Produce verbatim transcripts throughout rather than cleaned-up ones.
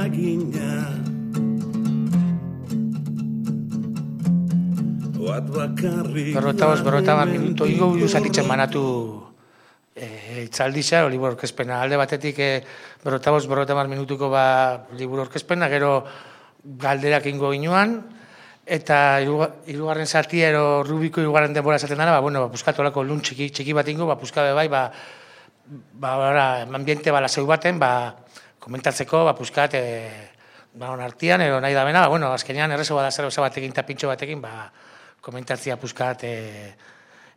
eragina. Berrota bost, berrota bat minuto, higo zatitzen banatu itzaldisa, o liburu orkezpena. Alde batetik berrota bost, berrota bat minutuko ba liburu orkezpena, gero galderak ingo ginuan, eta hirugarren zatia ero Rubiko hirugarren denbora esaten dara, ba, bueno, ba, puskatu olako lun txiki, txiki bat ingo, ba, puskabe bai, ba, ba, ba, ambiente bala zeu baten, ba, komentatzeko, ba, puskat, e, ba, on artian, ero nahi da bena, ba, bueno, azkenean errezo bada zer batekin eta pintxo batekin, ba, komentatzia puskat, e,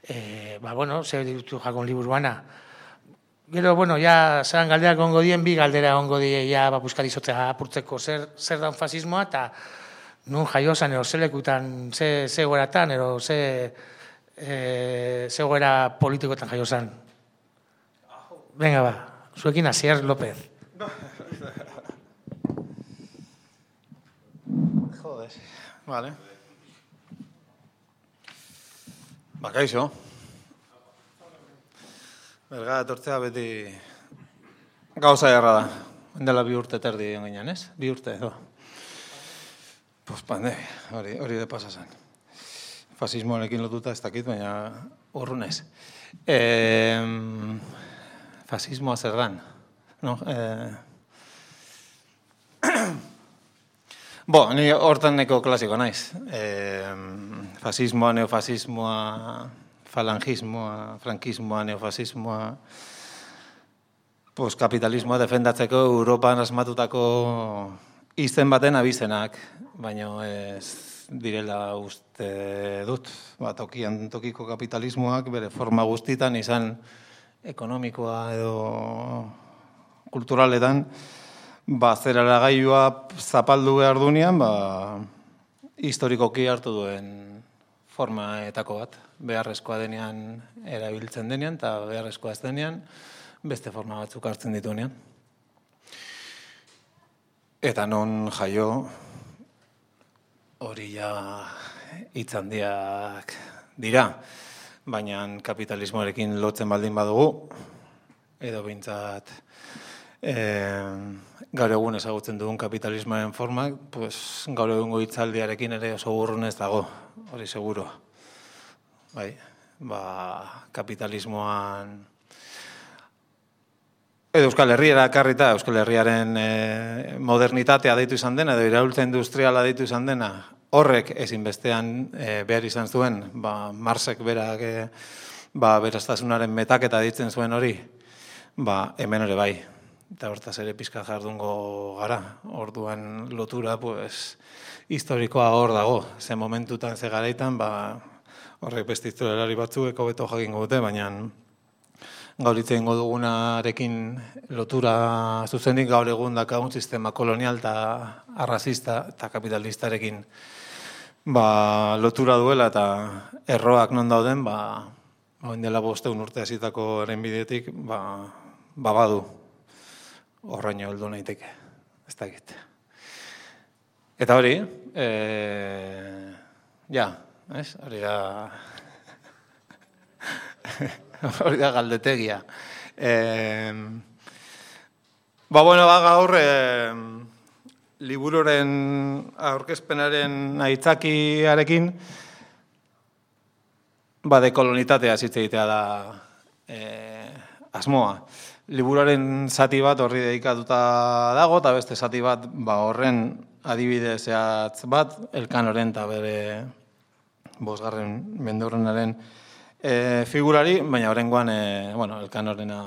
e, ba, bueno, zer dirutu jakon liburuana. Gero, bueno, ja, zeran galderak ongo dien, bi galdera ongo die, ja, ba, puskat izotzea apurtzeko zer, zer dan fasismoa, eta nun jaiozan, ero ze lekutan, ze, ze goeratan, ero ze, e, ze goera politikoetan jaiozan. Venga, ba, zuekin Asier López. Joder, vale. Ba, kaixo. Berga, etortzea beti gauza jarra da. Endela bi urte terdi enginean, ez? Bi urte, edo. Pues pandemia, hori, hori de pasa zen. Fasismoarekin lotuta ez dakit, baina urrunez. Eh, fasismoa zer dan, no? Eh, Bo, ni hortan neko klasiko naiz. E, fasismoa, neofasismoa, falangismoa, frankismoa, neofasismoa, pues, kapitalismoa defendatzeko Europan asmatutako izen baten abizenak, baina ez direla uste dut. Ba, tokian tokiko kapitalismoak bere forma guztitan izan ekonomikoa edo kulturaletan, ba, zerara gailua zapaldu behar dunean, ba, historikoki hartu duen formaetako bat. Beharrezkoa denean erabiltzen denean, eta beharrezkoa ez denean, beste forma batzuk hartzen dituenean. Eta non jaio, hori ja hitz handiak dira, baina kapitalismoarekin lotzen baldin badugu, edo behintzat, E, gaur egun ezagutzen dugun kapitalismoaren formak, pues, gaur egungo hitzaldiarekin ere oso urrunez dago, hori seguro. Bai, ba, kapitalismoan edo Euskal Herriera karrita, Euskal Herriaren e, modernitatea deitu izan dena, edo iraultza industriala deitu izan dena, horrek ezinbestean e, behar izan zuen, ba, Marxek berak e, ba, beraztasunaren metaketa ditzen zuen hori, ba, hemen ere bai. Eta hortaz ere pizka jardungo gara. Orduan lotura, pues, historikoa hor dago. Ze momentutan, ze garaitan, ba, horrek beste historialari batzuek hobeto jakingo dute, baina gaur hitz egingo dugunarekin lotura zuzenik gaur egun dakagun sistema kolonial eta arrazista eta kapitalistarekin ba, lotura duela eta erroak non dauden, ba, hain dela bosteun urte hasitako eren bidetik, ba, ba badu. Horraino heldu naiteke, ez dakit. Eta hori, e, ja, ez? Hori da, hori da galdetegia. E, ba, bueno, ba, gaur, e, libururen aurkezpenaren aitzakiarekin, ba, dekolonitatea zitze egitea da e, asmoa. Liburuaren zati bat horri dedikatuta dago, eta beste zati bat ba, horren adibide zehatz bat, Elkanoren eta bere bosgarren mendurrenaren e, figurari, baina horrengoan e, bueno, Elkanorena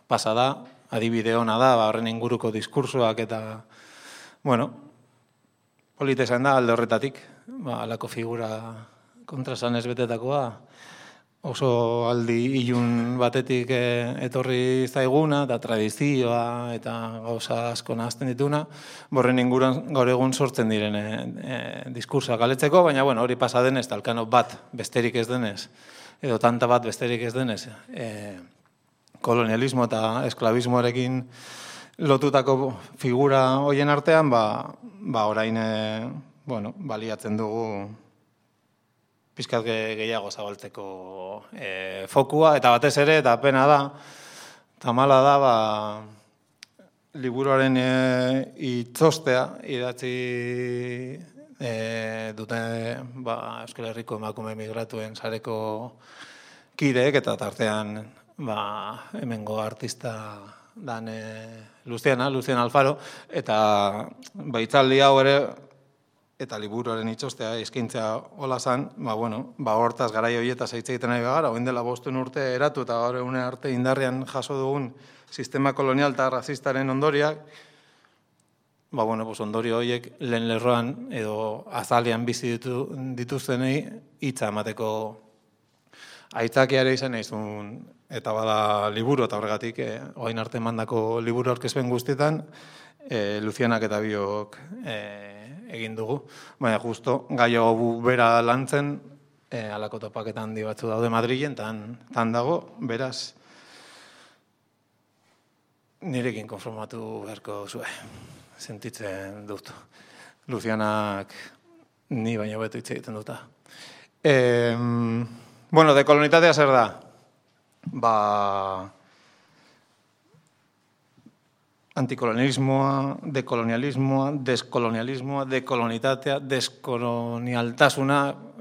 pasa da, adibide ona da, ba, horren inguruko diskursoak eta, bueno, polita izan da alde horretatik, ba, alako figura kontrasan ez betetakoa, oso aldi ilun batetik etorri zaiguna, eta tradizioa eta gauza asko nahazten dituna, borren inguruan gaur egun sortzen diren e, e, diskursoa galetzeko, baina bueno, hori pasa denez, Elkano bat besterik ez denez, edo tanta bat besterik ez denez, e, kolonialismo eta esklabismoarekin lotutako figura hoien artean, ba, ba orain e, bueno, baliatzen dugu pizkat gehiago zabaltzeko e, fokua, eta batez ere, eta pena da, eta mala da, ba, liburuaren e, itzostea idatzi e, dute ba, Euskal Herriko emakume migratuen sareko kideek, eta tartean ba, hemengo artista dan e, Luciana, Luciana Alfaro, eta baitzaldi hau ere, eta liburuaren itxostea eskaintzea hola zan, ba, bueno, ba, hortaz garai horietaz hitz egiten nahi gara, oin dela bostuen urte eratu eta gaur egune arte indarrean jaso dugun sistema kolonial eta rasistaren ondoriak, ba, bueno, pues ondorio horiek lehen lerroan edo azalean bizi ditu, dituztenei hitza emateko aitzakiare izan naizun, eta bada liburu, eta horregatik, eh, oain arte mandako liburu aurkezpen guztietan, eh, Lucianak eta biok eh, egin dugu. Baina justo, gai hau bera lantzen, e, alako topaketan handi batzu daude Madrilen, tan, tan dago, beraz, nirekin konformatu beharko zue, sentitzen dut. Lucianak ni baino beto hitz egiten duta. E, bueno, dekolonitatea zer da? Ba... antikolonialismoa, dekolonialismoa, deskolonialismoa, dekolonitatea, deskolonialtasuna,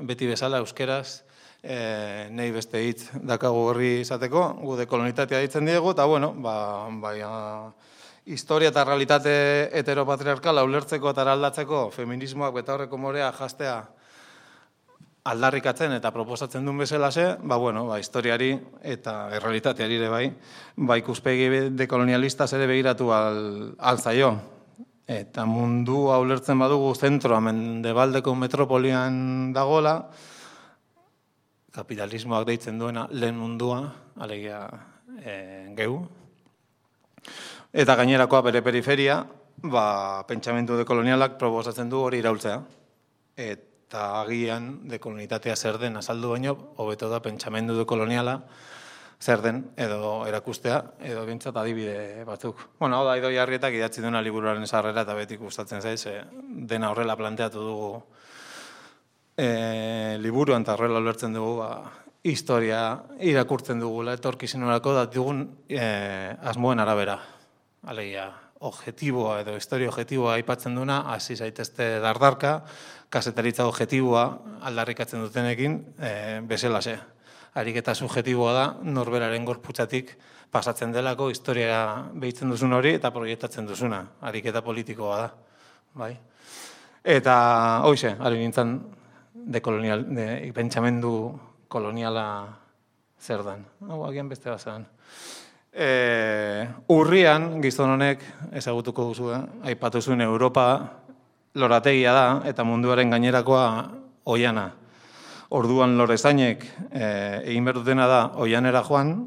beti bezala euskeraz, e, nahi beste hitz dakagu horri izateko, gu dekolonitatea ditzen diegu, eta bueno, ba, baina, historia eta realitate heteropatriarkala ulertzeko eta eraldatzeko feminismoak betaurreko morea jastea aldarrikatzen eta proposatzen duen bezalaxe, ba, bueno, ba, historiari eta errealitateari ere bai, ba, ikuspegi dekolonialistaz ere begiratu al, alzaio. Eta mundu ulertzen badugu zentro mendebaldeko metropolian dagola, kapitalismoak deitzen duena lehen mundua, alegia e, geu. Eta gainerakoa bere periferia, ba, pentsamendu dekolonialak proposatzen du hori iraultzea. Eta eta agian dekolonitatea zer den azaldu baino, hobeto da pentsamendu dekoloniala zer den edo erakustea, edo bintzat adibide batzuk. Bueno, hau da, Idoi Arrietak idatzi duena liburuaren sarrera eta betik gustatzen zaiz, e, dena horrela planteatu dugu e, liburuan eta horrela ulertzen dugu, ba, historia irakurtzen dugula, etorkizunerako da dugun e, asmoen arabera. Alegia, objetiboa edo historia objetiboa aipatzen duna, hasi zaitezte dardarka, kasetaritza objetiboa aldarrikatzen dutenekin e, bezalaxe. Ariketa subjetiboa da, norberaren gorputzatik pasatzen delako, historia behitzen duzun hori eta proiektatzen duzuna. Ariketa politikoa da. Bai? Eta, hoize, ari nintzen dekolonial, de, pentsamendu koloniala zer den. Hau, agian beste bazan. E, urrian, gizon honek, ezagutuko duzu, eh? Aipatu zuen Europa lorategia da, eta munduaren gainerakoa oiana. Orduan lorezainek e, egin behar dutena da oianera joan,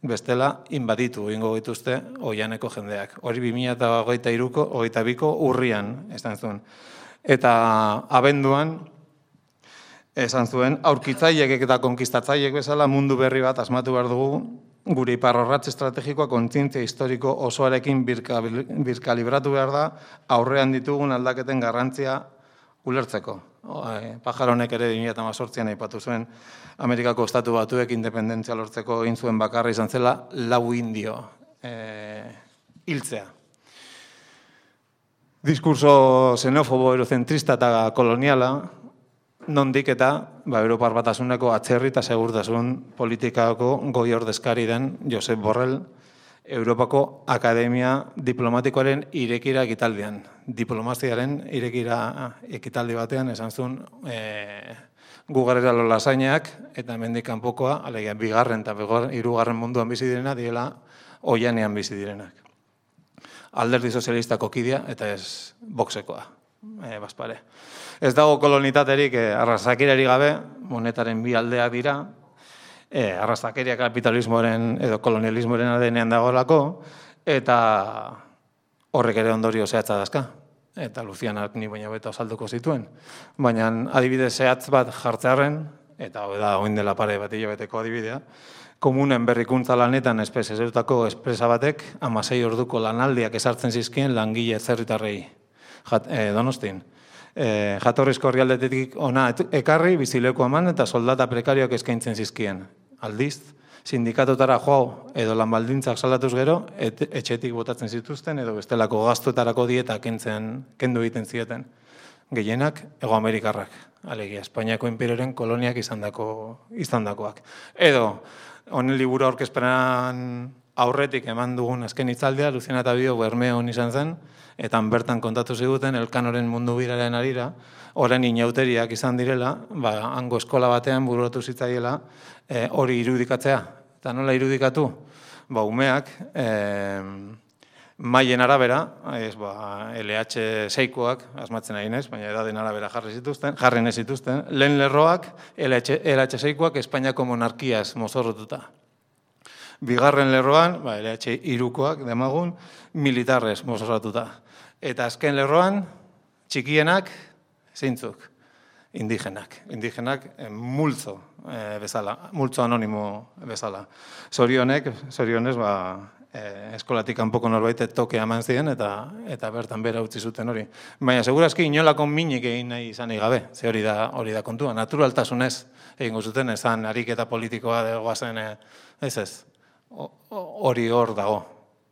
bestela inbaditu egingo dituzte oianeko jendeak. Hori bi mila hogeita hiruko, hogeita biko urrian, esan zuen. Eta abenduan, esan zuen, aurkitzaiek eta konkistatzaiek bezala mundu berri bat asmatu behar dugu, gure iparrorratz estrategikoa kontzientzia historiko osoarekin birkalibratu behar da, aurrean ditugun aldaketen garrantzia ulertzeko. Pajaronek ere bi mila hemezortzian aipatu zuen, Amerikako estatu batuek independentzia lortzeko egin zuen bakarra izan zela lau indio e, hiltzea. Diskurso xenofobo, eurozentrista eta koloniala, nondik eta ba, Europar Batasuneko atzerri eta segurtasun politikako goi ordezkari den Josep Borrell, Europako Akademia Diplomatikoaren irekira ekitaldian. Diplomaziaren irekira ekitaldi batean esan zuen e, gugarrera lolasainak eta hemendik kanpokoa, alegia bigarren eta hirugarren munduan bizi direna, diela oianean bizi direnak. Alderdi sozialistako kidea eta ez boxekoa, e, bazpare. Ez dago kolonitaterik eh, arrazakeriari gabe, monetaren bi aldeak dira, eh, arrazakeria kapitalismoaren edo kolonialismoaren adenean dagoelako, eta horrek ere ondorio zehatza dazka. Eta Lucianak ni baina beto azalduko zituen. Baina adibide zehatz bat jartzearen, eta hau da oin dela pare bat hilabeteko adibidea, komunen berrikuntza lanetan espezializatutako espresa batek hamasei orduko lanaldiak ezartzen zizkien langile zerritarrei eh, Donostin. E, jatorrizko herrialdetik ona ekarri, bizileko eman eta soldata prekarioak eskaintzen zizkien. Aldiz, sindikatotara joa edo lan baldintzak salatuz gero, et, etxetik botatzen zituzten edo bestelako gastuetarako dieta kentzen, kendu egiten zieten. Gehienak, Hego Amerikarrak, alegia, Espainiako imperioren koloniak izandako, izandakoak. Edo, honen liburu aurkezpenan aurretik eman dugun azken hitzaldea, Luciana eta Bio Bermeon izan zen, eta bertan kontatu ziguten Elkanoren mundu biraren arira, orain inauteriak izan direla, ba, hango eskola batean bururatu zitzaiela e, hori irudikatzea. Eta nola irudikatu? Ba, umeak, e, maien arabera, ez, ba, L H seikoak, asmatzen ari naiz, baina edaden arabera jarri zituzten, jarri ez zituzten, lehen lerroak, L H seikoak Espainiako monarkiaz mozorrotuta. Bigarren lerroan, ba, L H hirukoak demagun, militarrez mozorrotuta. Eta azken lerroan, txikienak, zeintzuk, indigenak. Indigenak eh, multzo eh, bezala, multzo anonimo bezala. Zorionek, zorionez, ba, eh, eskolatik kanpoko norbait toke eman ziren eta eta bertan bera utzi zuten hori. Baina segurazki inolako minik egin nahi izan gabe, ze hori da hori da kontua. Naturaltasunez egingo zuten, esan ariketa politikoa dagoa zen, eh, ez ez, hori hor dago.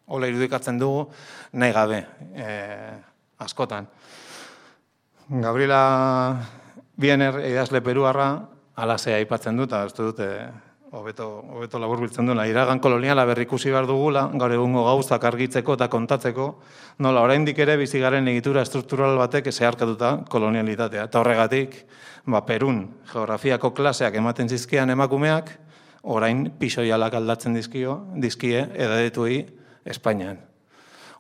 Hola irudikatzen dugu nahi gabe, eh, askotan. Gabriela Biener, idazle peruarra, alasea aipatzen dut, eta ez dut, hobeto hobeto laburbiltzen duela, iragan koloniala berrikusi behar dugula, gaur egungo gauzak argitzeko eta kontatzeko, nola oraindik ere bizigaren egitura estruktural batek zeharkatuta kolonialitatea. Eta horregatik, ba, Perun geografiako klaseak ematen zizkian emakumeak, orain pisoialak aldatzen dizkio, dizkie edadetuei Espainian.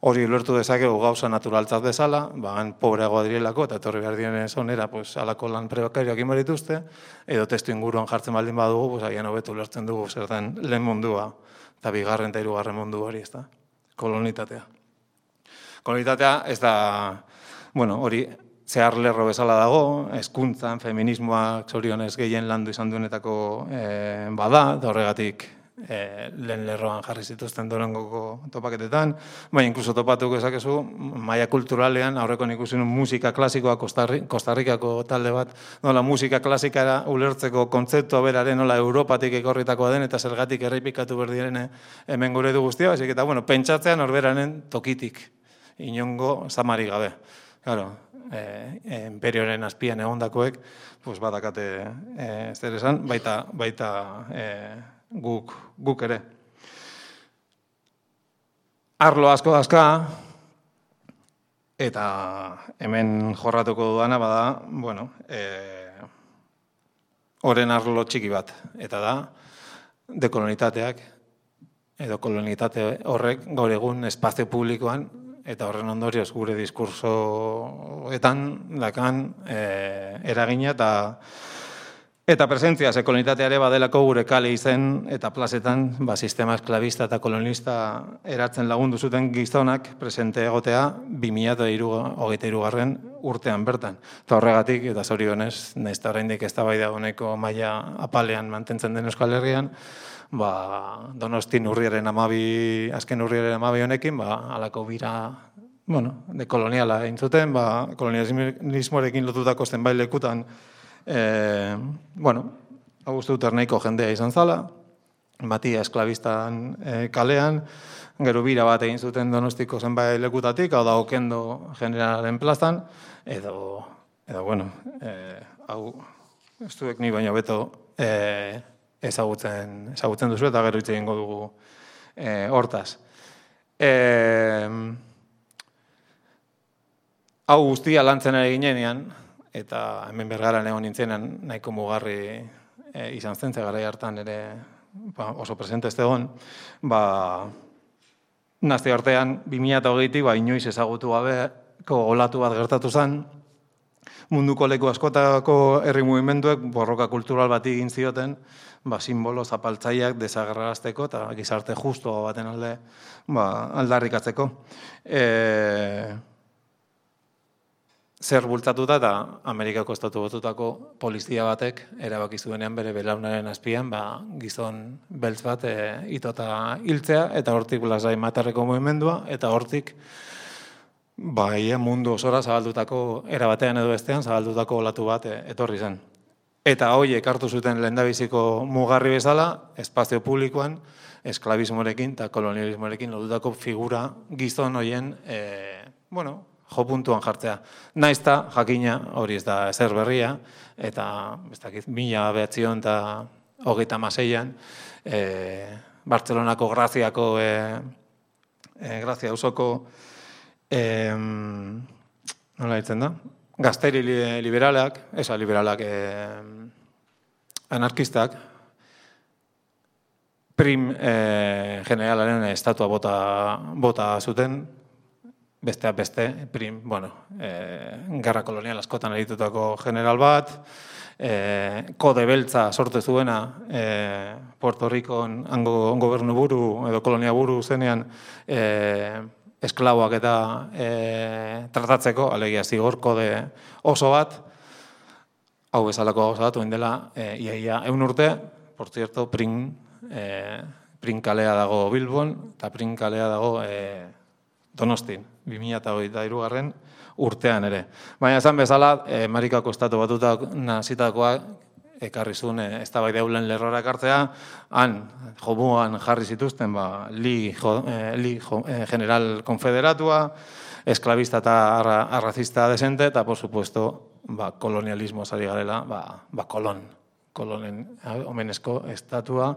Hori ulertu dezakegu gauza naturaltzat bezala, bagan pobreagoa direlako, eta etorri behar diren zonera, pues, alako lan prebakarioak inbarituzte, edo testu inguruan jartzen baldin badugu, pues, agian hobeto ulertzen dugu zer den lehen mundua, eta bigarren eta hirugarren mundu hori, ez da, kolonitatea. Kolonitatea ez da, bueno, hori zehar lerro bezala dago, hezkuntzan, feminismoak zorionez gehien landu izan duenetako eh, bada, da horregatik, E, lehen lerroan jarri zituzten dorengoko topaketetan, baina inkluso topatuko ezakezu, maila kulturalean, aurreko ikusi nun musika klasikoa Kostarrikako talde bat, nola musika klasikara ulertzeko kontzeptua beraren, nola Europatik ekorritakoa den, eta zergatik errepikatu berdiren hemen gure du guztia, baizik eta, bueno, pentsatzean horberaren tokitik, inongo zamari gabe. Claro, eh, imperioren azpian egondakoek, pues badakate eh, zer esan, baita, baita eh, Guk, guk ere. Arlo asko dazka, eta hemen jorratuko duana bada, bueno, e, oren arlo txiki bat, eta da, dekolonitateak, edo kolonitate horrek gaur egun espazio publikoan, eta horren ondorioz gure diskursoetan dakan e, eragina eta Eta presentzia, ze kolonitateare badelako gure kale izen eta plazetan, ba, sistema esklabista eta kolonista eratzen lagundu zuten gizonak presente egotea bi mila hogeita hirugarren urtean bertan. Eta horregatik, eta zorionez, nahiz eta oraindik eztabaida honeko maila apalean mantentzen den Euskal Herrian, ba, Donostin urriaren amabi, azken urriaren amabi honekin, ba, alako bira, bueno, de koloniala egin zuten, ba, kolonialismoarekin lotutako zenbait lekutan, E, bueno, Augusto Uternahiko jendea izan zala, batia esklabistan e, kalean, gero bira bat egin zuten Donostiko zenbait lekutatik, hau da Okendo generalen plazan, edo, edo bueno, e, hau, ez duek ni baina beto e, ezagutzen, ezagutzen duzu eta gero hitz egingo dugu e, hortaz. E, hau guztia lantzen ari ginenean, eta hemen Bergaran egon nintzenan nahiko mugarri e, izan zen, garai hartan ere ba, oso presente ez egon, ba, nazio artean bi mila hogeitik ba, inoiz ezagutu gabeko olatu bat gertatu zen, munduko leku askotako herri mugimenduek borroka kultural bat egin zioten, ba, simbolo zapaltzaileak desagerrarazteko eta gizarte justu baten alde ba, aldarrikatzeko. E, Zer bultzatuta eta Amerikako estatu batutako polizia batek erabaki zuenean bere belaunaren azpian ba, gizon beltz bat e, itota hiltzea eta hortik lasai matarreko mugimendua eta hortik ba, ia mundu osora zabaldutako erabatean edo bestean zabaldutako olatu bat e, etorri zen. Eta horiek hartu zuten lehendabiziko mugarri bezala, espazio publikoan, esklabismorekin eta kolonialismorekin lotutako figura gizon horien, e, bueno, jo puntuan jartzea. Naizta, jakina, hori ez da ezer berria, eta, ez dakit, mila behatzion eta hogeita maseian, e, Bartzelonako Graziako, e, e, Grazia auzoko, e, nola ditzen da? Gazteri liberalak, esa liberalak eh, anarkistak, prim eh, generalaren estatua bota, bota zuten, besteak beste, prim, bueno, eh, gerra kolonial askotan eritutako general bat, eh, kode beltza sortu zuena eh, Puerto Ricon hango gobernu buru edo kolonia buru zenean eh, esklaboak eta e, tratatzeko, alegia zigor kode oso bat, hau bezalako oso bat, oin dela, e, iaia eun urte, por cierto, prin, e, prin kalea dago Bilbon, eta prin kalea dago e, Donostin, bi mila hogeita hirugarren urtean ere. Baina esan bezala, e, Amerikako estatu batutak nazitakoa, ekarri zuen ez da bai deulen lerrora ekartzea, han, jomuan jarri zituzten, ba, li, jo, eh, li jo, eh, general konfederatua, esklabista eta arra, arrazista desente, eta, por supuesto, ba, kolonialismo zari garela, ba, ba kolon, kolonen omenezko estatua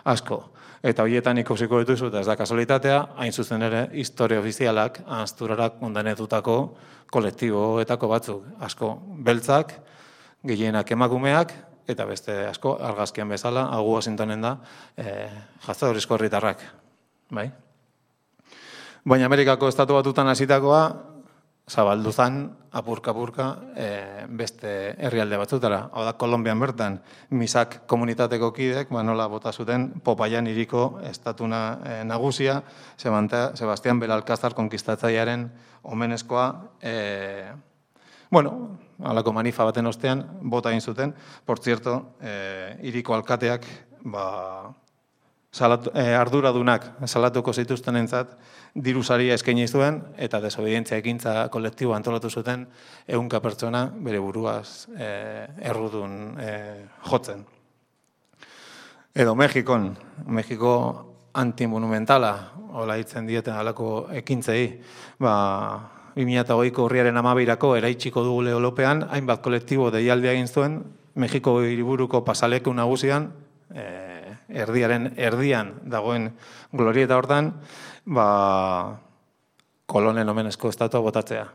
asko. Eta horietan ikusiko dituzu, eta ez da kasualitatea, hain zuzen ere, historia ofizialak, ahazturarak ondanetutako kolektiboetako batzuk, asko beltzak, gehienak emakumeak, eta beste asko, argazkian bezala, hau Washingtonen da, e, jazadorizko herritarrak. Bai? Baina Amerikako estatu batutan hasitakoa, zabaldu zan, apurka-apurka, e, beste herrialde batzutara. Hau da, Kolonbian bertan, misak komunitateko kidek, ba, nola bota zuten, Popaian hiriko estatuna e, nagusia, Sebastián Belalcázar konkistatzailearen omenezkoa, e, bueno, halako manifa baten ostean, bota egin zuten, por cierto, eh, hiriko alkateak, ba, salatu, eh, arduradunak salatuko zituzten entzat, dirusaria eskaini zuen, eta desobedientzia ekintza kolektibo antolatu zuten, ehunka pertsona bere buruaz eh, errudun eh, jotzen. Edo Mexikon, Mexiko antimonumentala, hola hitzen dieten halako ekintzei, ba, bi mila hogeiko urriaren hamabeirako eraitsiko dugu Leolopean, hainbat kolektibo deialdia egin zuen, Mexiko hiriburuko pasaleku nagusian, eh, erdiaren erdian dagoen glorieta hortan, ba, kolonen omenezko estatua botatzea.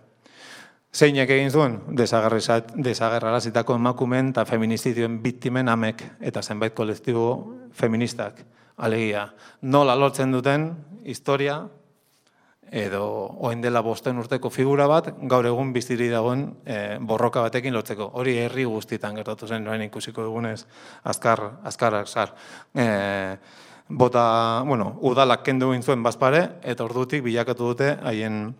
Zeinek egin zuen? Desagerrarazitako emakumeen eta feministidioen biktimen amek eta zenbait kolektibo feministak. Alegia, nola lortzen duten historia, edo oin dela bosten urteko figura bat, gaur egun biziri dagoen e, borroka batekin lotzeko. Hori herri guztietan gertatu zen, noen ikusiko dugunez, azkar, azkar, azkar. E, bota, bueno, udalak kendu egin zuen bazpare, eta ordutik bilakatu dute, haien,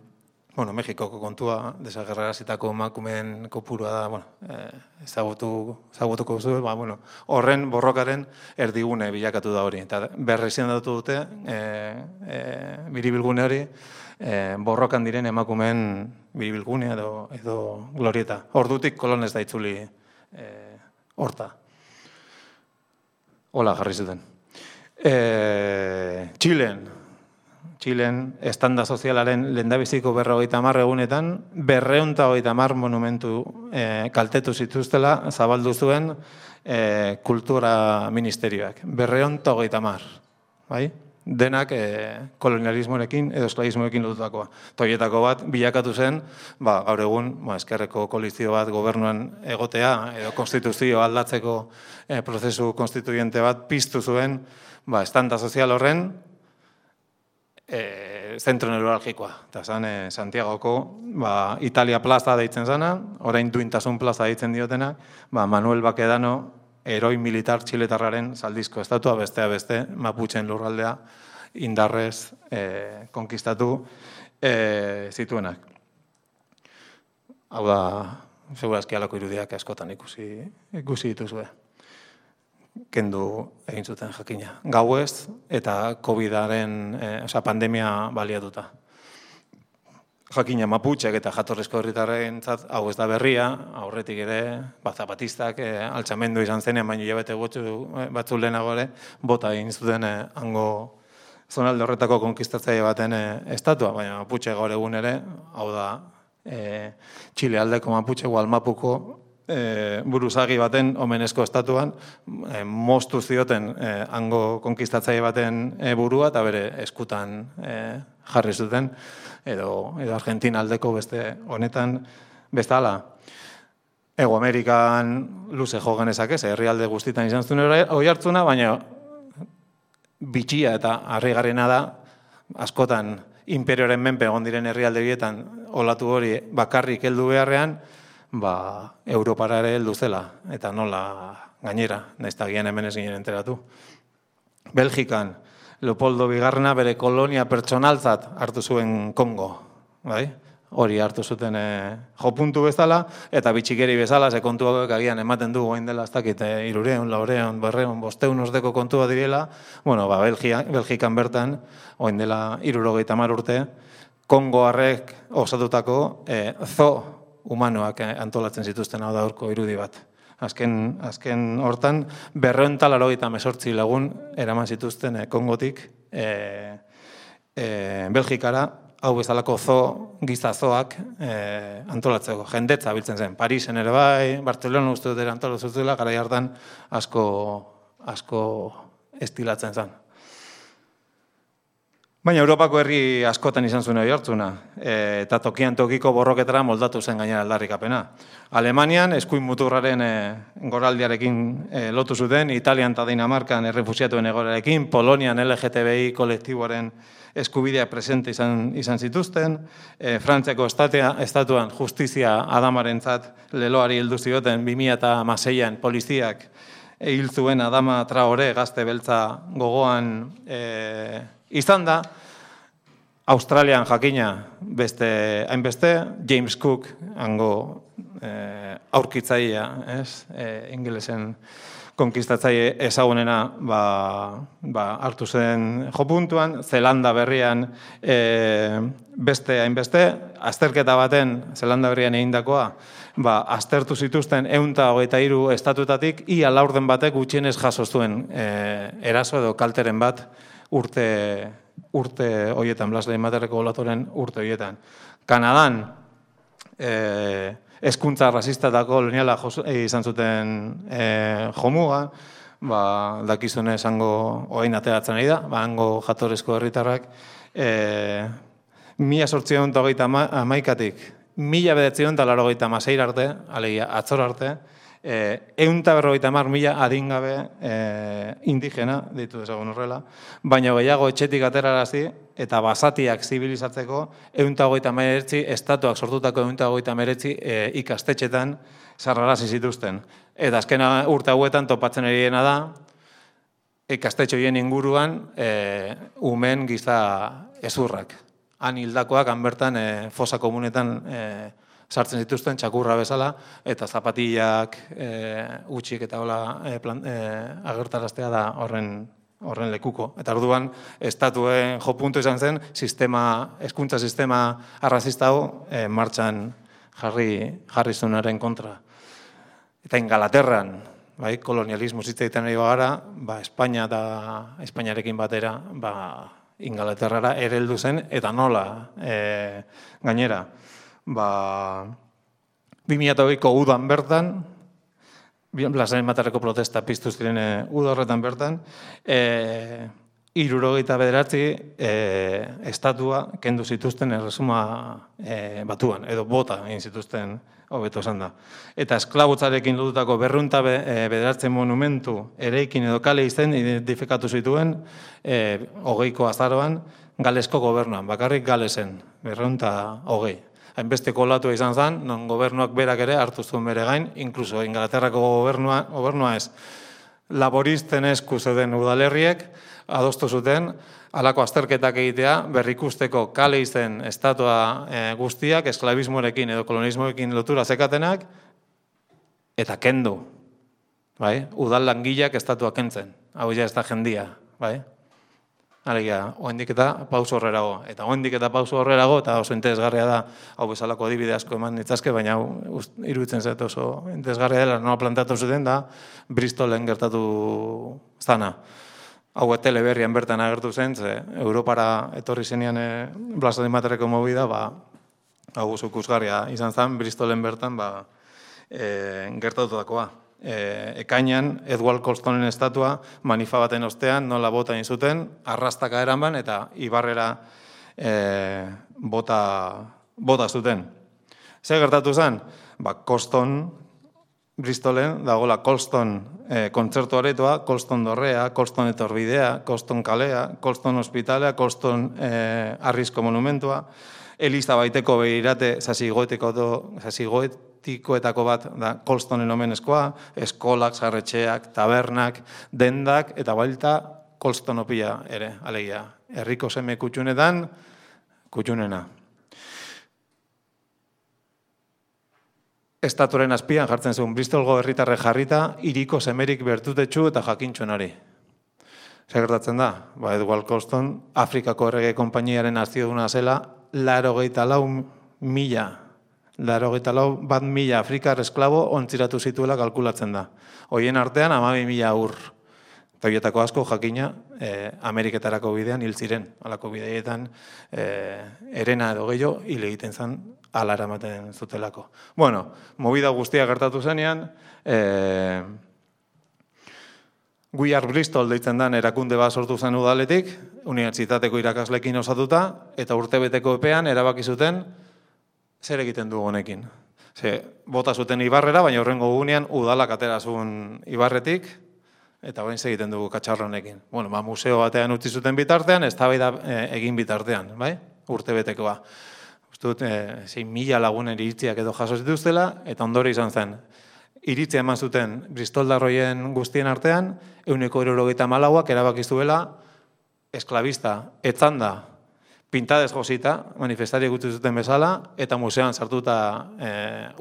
bueno, Mexikoko kontua, desagerrarazitako emakumeen kopurua da, bueno, e, ezagutu, ezagutuko zu, ba, bueno, horren borrokaren erdigune bilakatu da hori. Eta berrezien datu dute, e, e, biribilgune hori, e, borrokan diren emakumeen biribilgune edo, edo glorieta. Ordutik kolonez da itzuli e, horta. Hola, jarri zuten. E, Txilen, Txilen, estanda sozialaren lehendabiziko berrogeita hamar egunetan, berreunta hogeita hamar monumentu e, kaltetu zituztela, zabaldu zuen e, kultura ministerioak. Berreunta hogeita hamar, bai? Denak e, kolonialismorekin edo esklabismorekin lotutakoa. Toietako bat bilakatu zen, ba, gaur egun, ba, eskerreko koalizio bat gobernuan egotea, edo konstituzio aldatzeko e, prozesu konstituyente bat piztu zuen, ba, estanda sozial horren, E, zentro neuralgikoa. Eta zan, e, Santiagoko ba, Italia plaza deitzen zana, orain duintasun plaza deitzen diotena, ba, Manuel Bakedano, heroi militar txiletarraren zaldizko estatua, bestea beste, Mapuchen lurraldea indarrez e, konkistatu e, zituenak. Hau da, segurazki halako irudiak askotan ikusi, ikusi dituzue. Kendu egin zuten jakina. Gauez eta COVIDaren, eh, oza, pandemia baliatuta. jakina maputxek eta jatorrizko herritarrentzat hau ez da berria, aurretik ere, ba, zapatistak e, altxamendu izan zenean, baina jabete batzu lehenago ere, bota egin zuten e, hango zonalde horretako konkistatzaile baten e, estatua, baina maputxe gaur egun ere, hau da, e, Txile aldeko maputxe, Gualmapuko e, buruzagi baten omenezko estatuan, e, moztu zioten e, hango konkistatzaile baten e, burua, eta bere eskutan e, jarri zuten, edo, edo Argentina aldeko beste honetan bezala. Ego Amerikan luze jo genezak ez, herrialde guztitan izan zuen hori hartzuna, baina bitxia eta harrigarriena da, askotan imperioaren menpe egon diren herrialde bietan olatu hori bakarrik heldu beharrean, ba, Europara ere heldu zela, eta nola gainera, nahiz eta gian hemen ez ginen enteratu. Belgikan, Leopoldo Bigarrena bere kolonia pertsonaltzat hartu zuen Kongo, bai? Hori hartu zuten e, jopuntu bezala, eta bitxikeri bezala, ze kontuak agian ematen du goain dela, ez dakit, e, irureun, laureun, berreun, bosteun osteko kontua direla, bueno, ba, Belgia, Belgikan bertan, goain dela irurogeita hamar urte, Kongoarrek osatutako e, zo humanoak antolatzen zituzten hau da horko irudi bat. Azken, azken hortan, berreun talaro eta mesortzi lagun eraman zituzten e, Kongotik e, e, Belgikara, hau bezalako zo, gizazoak e, antolatzeko. Jendetza biltzen zen, Parisen ere bai, Bartzelona uste dut ere antolatzen zutela, garai hartan asko, asko estilatzen zen. Baina Europako herri askotan izan zuen hori hartzuna, e, eta tokian tokiko borroketara moldatu zen gainera aldarrikapena. Alemanian, eskuin muturraren e, goraldiarekin e, lotu zuten, Italian eta Dinamarkan errefusiatuen egorarekin, Polonian L G T B I kolektiboaren eskubidea presente izan, izan zituzten, e, Frantziako estatea, estatuan justizia adamarentzat leloari heldu zioten bi mila hamaseian poliziak hil zuen Adama Traore gazte beltza gogoan e, izan da, Australian jakina beste hainbeste, James Cook hango e, aurkitzailea, ez, e, ingelesen konkistatzaile ezagunena ba, ba, hartu zen jopuntuan, Zelanda berrian e, beste hainbeste, azterketa baten Zelanda berrian egindakoa, ba, aztertu zituzten ehun eta hogeita hiru estatutatik, ia laurden batek gutxienez jaso zuen e, eraso edo kalteren bat, urte, urte hoietan, Blas Leimaterreko olatoren urte hoietan. Kanadan, eh, eskuntza rasista eta koloniala izan zuten eh, jomuga, ba, dakizune esango orain ateratzen ari da, ba, hango jatorrizko herritarrak, eh, mila zortziehun eta hogeita hamaikatik, mila bederatziehun eta laurogeita hamaseira arte, alegia atzor arte, ehun eta berrogeita hamar mila adingabe e, indigena, ditu dezagun horrela, baina gehiago etxetik aterarazi eta basatiak zibilizatzeko ehun eta hogeita hemeretzi estatuak sortutako ehun eta hogeita hemeretzi e, ikastetxetan sarrarazi zituzten. Eta azken urte hauetan topatzen eriena da, ikastetxo horien inguruan e, umen giza ezurrak. Han hildakoak, han bertan e, fosa komunetan e, sartzen zituzten txakurra bezala, eta zapatillak e, utxik eta hola e, e, agertaraztea da horren, horren lekuko. Eta orduan, estatuen jopuntu izan zen, sistema, hezkuntza sistema arrazista hau e, martxan jarri, jarri zunaren kontra. Eta Ingalaterran, bai, kolonialismo zitzaiten ari bagara, ba, Espainia eta Espainiarekin batera, ba, Ingalaterrara ere heldu zen, eta nola e, gainera. Ba, bi mila hogeiko udan bertan, Blas Leimaterreko protesta piztu ziren uda horretan bertan, e, hirurogeita bederatzi e, estatua kendu zituzten erresuma e, batuan, edo bota egin zituzten hobeto esan da. Eta esklabotzarekin lotutako berrehun eta bederatzi monumentu eraikin edo kale izen identifikatu zituen e, hogeiko azaroan Galesko gobernuan, bakarrik Galesen, berrehun eta hogei. Hainbesteko olatua izan zen, non gobernuak berak ere hartu zuen bere gain, inkluso Ingalaterrako gobernua, gobernua ez, laboristen esku zeuden udalerriek, adostu zuten, halako azterketak egitea, berrikusteko kale izen estatua e, guztiak, esklabismoarekin edo kolonismoekin lotura zekatenak, eta kendu. Bai? Udal langileak estatua kentzen. Hau ja ez da jendia. Bai? Alegia, oendik eta pauso horrerago. Eta oendik eta pauso horrerago, eta oso interesgarria da, hau bezalako adibide asko eman nitzazke, baina iruditzen zait oso interesgarria dela, nola plantatu zuten da, Bristolen gertatu zana. Hau teleberrian bertan agertu zen, ze Europara etorri zenean e, Blasari Materreko movida, ba, hau oso ikusgarria izan zen, Bristolen bertan ba, e, gertatutakoa. E, ekainan, Edward Colstonen estatua, manifa baten ostean, nola bota zuten, arrastaka eranban, eta ibarrera e, bota, bota zuten. Zer gertatu zen? Ba, Colston, Bristolen, dagoela Colston e, kontzertu aretoa, Colston dorrea, Colston etorbidea, Colston kalea, Colston ospitalea, Colston e, arrizko monumentua, Eliza baiteko behirate zasigoetikoetako bat da Colstonen omenezkoa, eskolak, sarretxeak, tabernak, dendak, eta bailta Colstonopia ere, alegia. Herriko seme kutxunetan, kutxunena. Estaturen azpian jartzen zuen Bristolgo herritarre jarrita, hiriko semerik bertutetxu eta jakintxuenari. Zer gertatzen da? Ba, Edward Colston, Afrikako errege konpainiaren aztioduna zela, laro geita lau mila, laro geita lau bat mila Afrikar esklabo ontziratu zituela kalkulatzen da. Hoien artean, hamabi mila aur. Eta horietako asko jakina eh, Ameriketarako bidean hil ziren. Halako bideetan eh, erena edo gehiago hil egiten zen ala eramaten zutelako. Bueno, movida guztia gertatu zenean, eh, We Are Bristol deitzen den erakunde bat sortu zen udaletik, unibertsitateko irakaslekin osatuta, eta urtebeteko epean erabaki zuten zer egiten du honekin. Ze, bota zuten ibarrera, baina horrengo gunean udalak atera zuen ibarretik, eta bain egiten dugu katxarro honekin. Bueno, ba, museo batean utzi zuten bitartean, ez da e, egin bitartean, bai? Urtebetekoa. Ustut, e, zein mila lagunen iritziak edo jaso zituztela, eta ondore izan zen. Iritzia eman zuten bristoldarroien guztien artean, ehuneko hirurogeita hamalauak erabakizuela esklabista, etzanda, pintadez josita, manifestariak utzi zuten bezala, eta museoan sartuta e,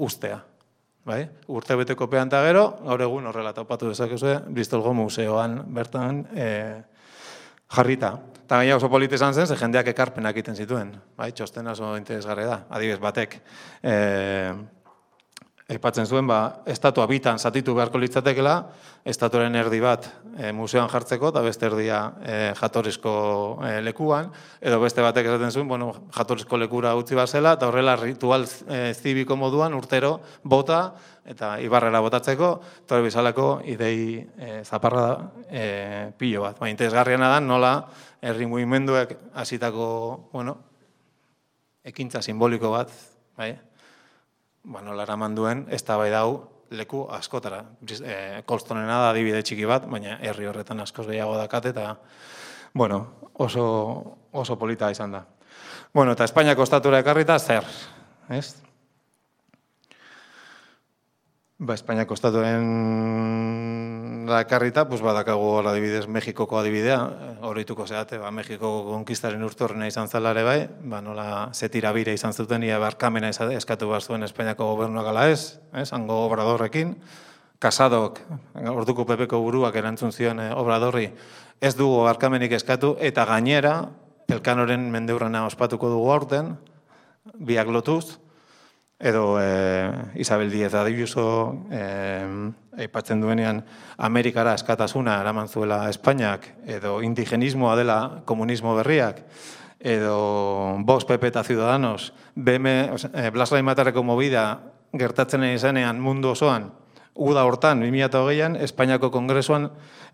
ustea. Bai? Urte beteko pean eta gero, gaur egun horrela topatu dezakezue, Bristolgo museoan bertan e, jarrita. Eta gaina oso polite izan zen, ze jendeak ekarpenak egiten zituen. Bai? Txostena oso interesgarria da, adibidez batek. E, Aipatzen zuen, ba, estatua bitan zatitu beharko litzatekela, estatuaren erdi bat e, museoan jartzeko, eta beste erdia e, jatorrizko e, lekuan, edo beste batek esaten zuen, bueno, jatorrizko lekura utzi bat zela, eta horrela ritual e, zibiko moduan urtero bota, eta ibarrera botatzeko, eta bizalako idei e, zaparra e, pilo bat. Ba, interesgarriena da, nola herri mugimenduek hasitako, bueno, ekintza simboliko bat, bai? Ba, nola eraman duen, ez da bai dau leku askotara. E, Colstonena da adibide txiki bat, baina herri horretan askoz gehiago dakat, eta bueno, oso, oso polita izan da. Bueno, eta Espainiako estatura ekarrita, zer? Ez? Ba, Espainiako estatuaren ekarrita, pues badakagu hor adibidez Mexikoko adibidea, horreituko zeate, ba, Mexikoko konkistaren urtorrena izan zela ere bai, ba, nola zetirabire izan zuten, ia barkamena eskatu behar zuen Espainiako gobernuak ala ez, ez, hango obradorrekin, Kasadok, orduko pepeko buruak erantzun zion eh, obradorri, ez dugu barkamenik eskatu, eta gainera, Elkanoren mendeurrena ospatuko dugu aurten, biak lotuz, edo eh, Isabel Díez Ayuso eh, aipatzen duenean Amerikara eskatasuna eraman zuela Espainiak, edo indigenismoa dela komunismo berriak, edo Vox, P P eta Ciudadanos, B M, eh, Blasari Materreko movida gertatzen izanean mundu osoan, uda hortan, bi mila hogeian, Espainiako Kongresuan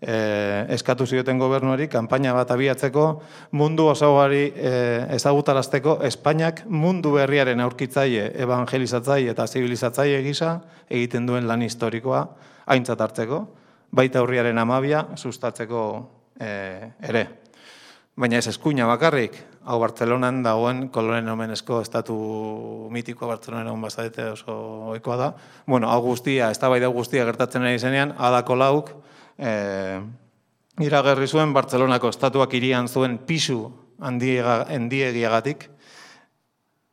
eh, eskatu zioten gobernuari, kanpaina bat abiatzeko, mundu osoari eh, ezagutarazteko, Espainiak mundu berriaren aurkitzaile, evangelizatzaile eta zibilizatzaile gisa egiten duen lan historikoa aintzat hartzeko, baita urriaren amabia sustatzeko eh, ere. Baina ez eskuina bakarrik, hau Bartzelonan dagoen kolonen omenezko estatu mitiko Bartzelonan egon bazadete oso ohikoa da. Bueno, hau guztia, eztabaida guztia gertatzen ari zenean, Adako Lauk eh, iragarri zuen Bartzelonako estatuak hirian zuen pisu handiegiagatik,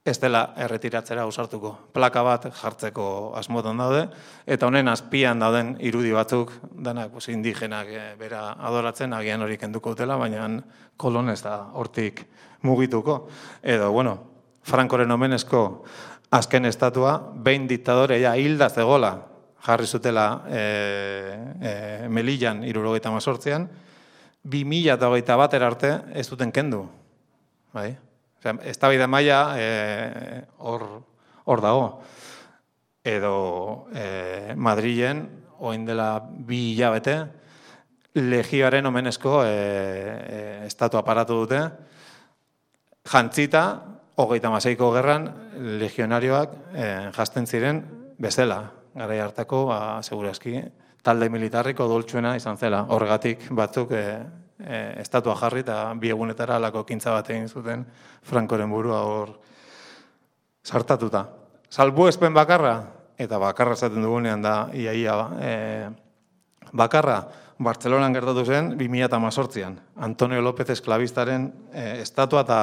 ez dela erretiratzera ausartuko. Plaka bat jartzeko asmotan daude, eta honen azpian dauden irudi batzuk, danak pues, indigenak e, bera adoratzen, agian hori kenduko dutela, baina kolon ez da hortik mugituko. Edo, bueno, Frankoren omenezko azken estatua, behin diktadore ja hilda zegola, jarri zutela e, e, Melillan hirurogeita hemezortzian, bi mila hogeita batera arte ez duten kendu. Bai? Eztabaida maila hor e, dago. Edo e, Madrilen, orain dela bi hilabete, Legioaren omenezko e, e, estatua paratu dute, jantzita, hogeita hamaseiko gerran, legionarioak e, jazten ziren bezala. Garai hartako, ba, segurazki, talde militarriko doltsuena izan zela. Horregatik batzuk e, e, estatua jarri eta bi egunetara alako kintza bat egin zuten Frankoren burua hor sartatuta. Salbuespen bakarra, eta bakarra esaten dugunean da iaia e, bakarra, Bartzelonan gertatu zen bi mila hemezortzian. Antonio López Esklabistaren e, estatua eta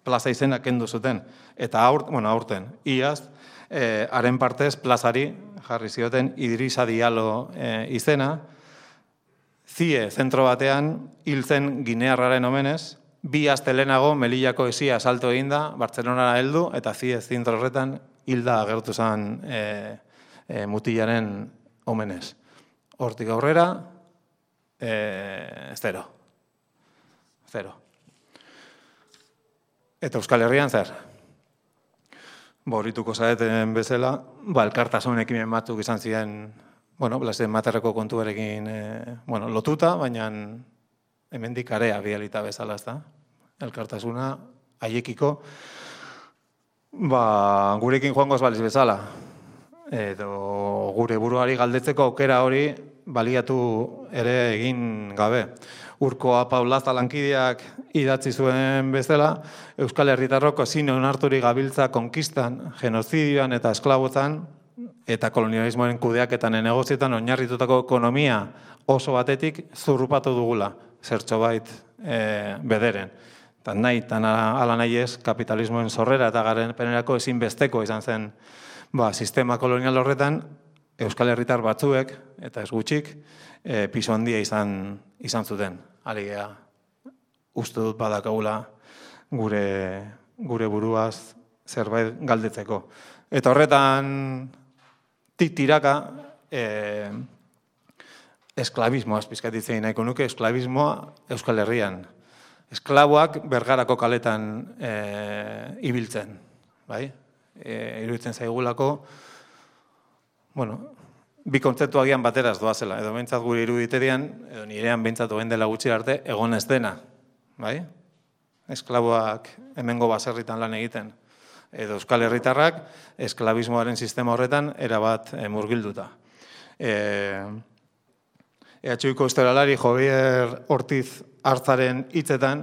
plaza izena kendu zuten. Eta aurt, bueno, aurten, iaz, e, haren partez plazari jarri zioten Idrisa Diallo e, izena, zie zentro batean hil zen ginearraren omenez, bi aste lehenago Melillako esia salto eginda, Bartzelonara heldu, eta zie zentro horretan hilda agertu zen e, e, mutilaren omenez. Hortik aurrera, e, zero. Zero. Eta Euskal Herrian zer? Borrituko zaeten bezala, ba, elkartasun ekimen batzuk izan ziren, bueno, Blasen Materreko kontuarekin e, bueno, lotuta, baina hemendik area bialita bezala, ez da? Elkartasuna, haiekiko, ba, gurekin joango ez baliz bezala. Edo gure buruari galdetzeko aukera hori baliatu ere egin gabe. Urkoa Paulaza lankideak idatzi zuen bezala, Euskal Herritarrok ezin onarturik gabiltza konkistan, genozidioan eta esklabotan, eta kolonialismoaren kudeaketan negozietan oinarritutako ekonomia oso batetik zurrupatu dugula, zertxobait e, bederen. Eta nahi, eta ala nahi ez, kapitalismoen sorrera eta garenpenerako ezinbesteko izan zen ba, sistema kolonial horretan, Euskal Herritar batzuek, eta ez gutxik, e, piso handia izan, izan zuten. Aligea, uste dut badakagula gure, gure buruaz zerbait galdetzeko. Eta horretan, tiraka, e, esklabismoaz pizkatitzen nahiko nuke, esklabismoa Euskal Herrian. Esklaboak Bergarako kaletan e, ibiltzen, bai? E, iruditzen zaigulako, bueno, bi kontzeptu agian bateraz doazela, edo behintzat gure iruditerian, edo nirean behintzat oen dela gutxi arte, egon ez dena, bai? Esklaboak hemengo baserritan lan egiten, edo Euskal Herritarrak esklabismoaren sistema horretan erabat e, murgilduta. E, E H Uko historialari Javier Ortiz Artzaren hitzetan,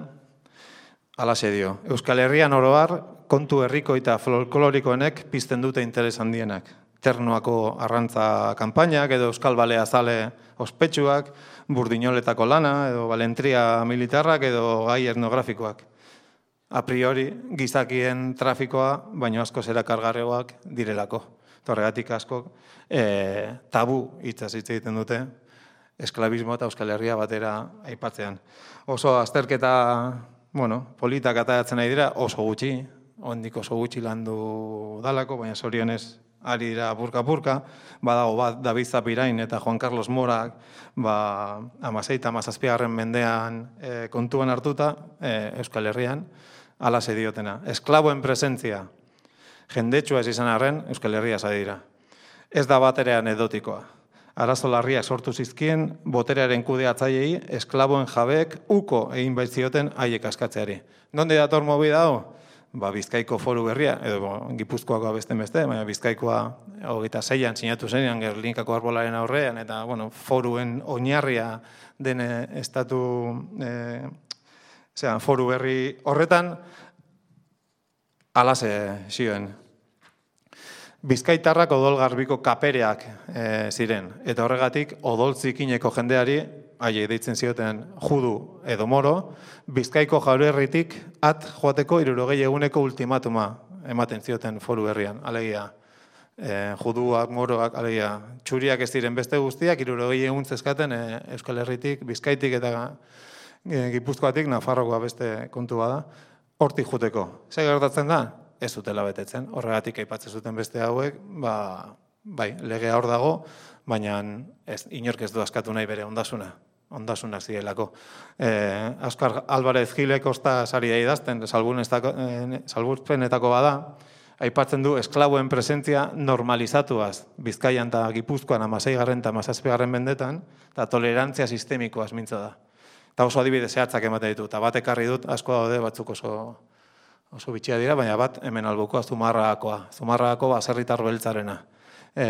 halaxe dio, Euskal Herrian oro har, kontu herriko eta folklorikoenek pizten dute interes handienak. Ternuako arrantza kanpainak edo Euskal Balea zale ospetsuak, burdinoletako lana edo balentria militarrak edo gai etnografikoak. A priori, gizakien trafikoa, baino asko erakargarriagoak direlako. Horregatik asko e, tabu hitzaz hitz egiten dute, esklabismo eta Euskal Herria batera aipatzean. Oso azterketa, bueno, politak ateratzen nahi dira, oso gutxi, ondik oso gutxi landu dalako, baina zorionez ari dira burka-burka, badago bat David Zapirain eta Juan Carlos Morak, ba, amaseita, amazazpigarren mendean e, kontuan hartuta, e, Euskal Herrian, alase diotena. Esklaboen presentzia, jendetsua ez izan arren, Euskal Herria zadi dira. Ez da batere anekdotikoa. Arazo larriak sortu zizkien, boterearen kudeatzaileei, esklaboen jabeek uko egin baitzioten haiek askatzeari. Donde dator mobi dago? Ba, Bizkaiko foru berria, edo Gipuzkoakoa beste beste, baina Bizkaikoa hogeita zeian sinatu zenean Gerlinkako arbolaren aurrean, eta bueno, foruen oinarria den estatu e, zean, foru berri horretan, alase zioen. Bizkaitarrak odol garbiko kapereak e, ziren, eta horregatik odol zikineko jendeari, haiek deitzen zioten judu edo moro, Bizkaiko jaurerritik at joateko hirurogei eguneko ultimatuma ematen zioten foru herrian, alegia. E, juduak, moroak, alegia, txuriak ez diren beste guztiak, hirurogei egun zezkaten e, Euskal Herritik, Bizkaitik eta e, Gipuzkoatik, Nafarrokoa beste kontu bada, hortik juteko. Zer gertatzen da? Ez zutela betetzen. Horregatik aipatzen zuten beste hauek, ba, bai, legea hor dago, baina ez, inork ez du askatu nahi bere ondasuna. Ondasunak zirelako. Eh, Oskar Alvarez Gilek osta sari da idazten, salbuespenetako bada, aipatzen du esklaboen presentzia normalizatuaz, Bizkaian eta Gipuzkoan amaseigarren eta amazazpigarren mendetan, eta tolerantzia sistemikoaz mintza da. Eta oso adibide zehatzak ematen ditu, eta bat ekarri dut, asko daude batzuk oso, oso bitxia dira, baina bat hemen albukoa Zumarragakoa. Zumarragako baserritar beltzarena. E,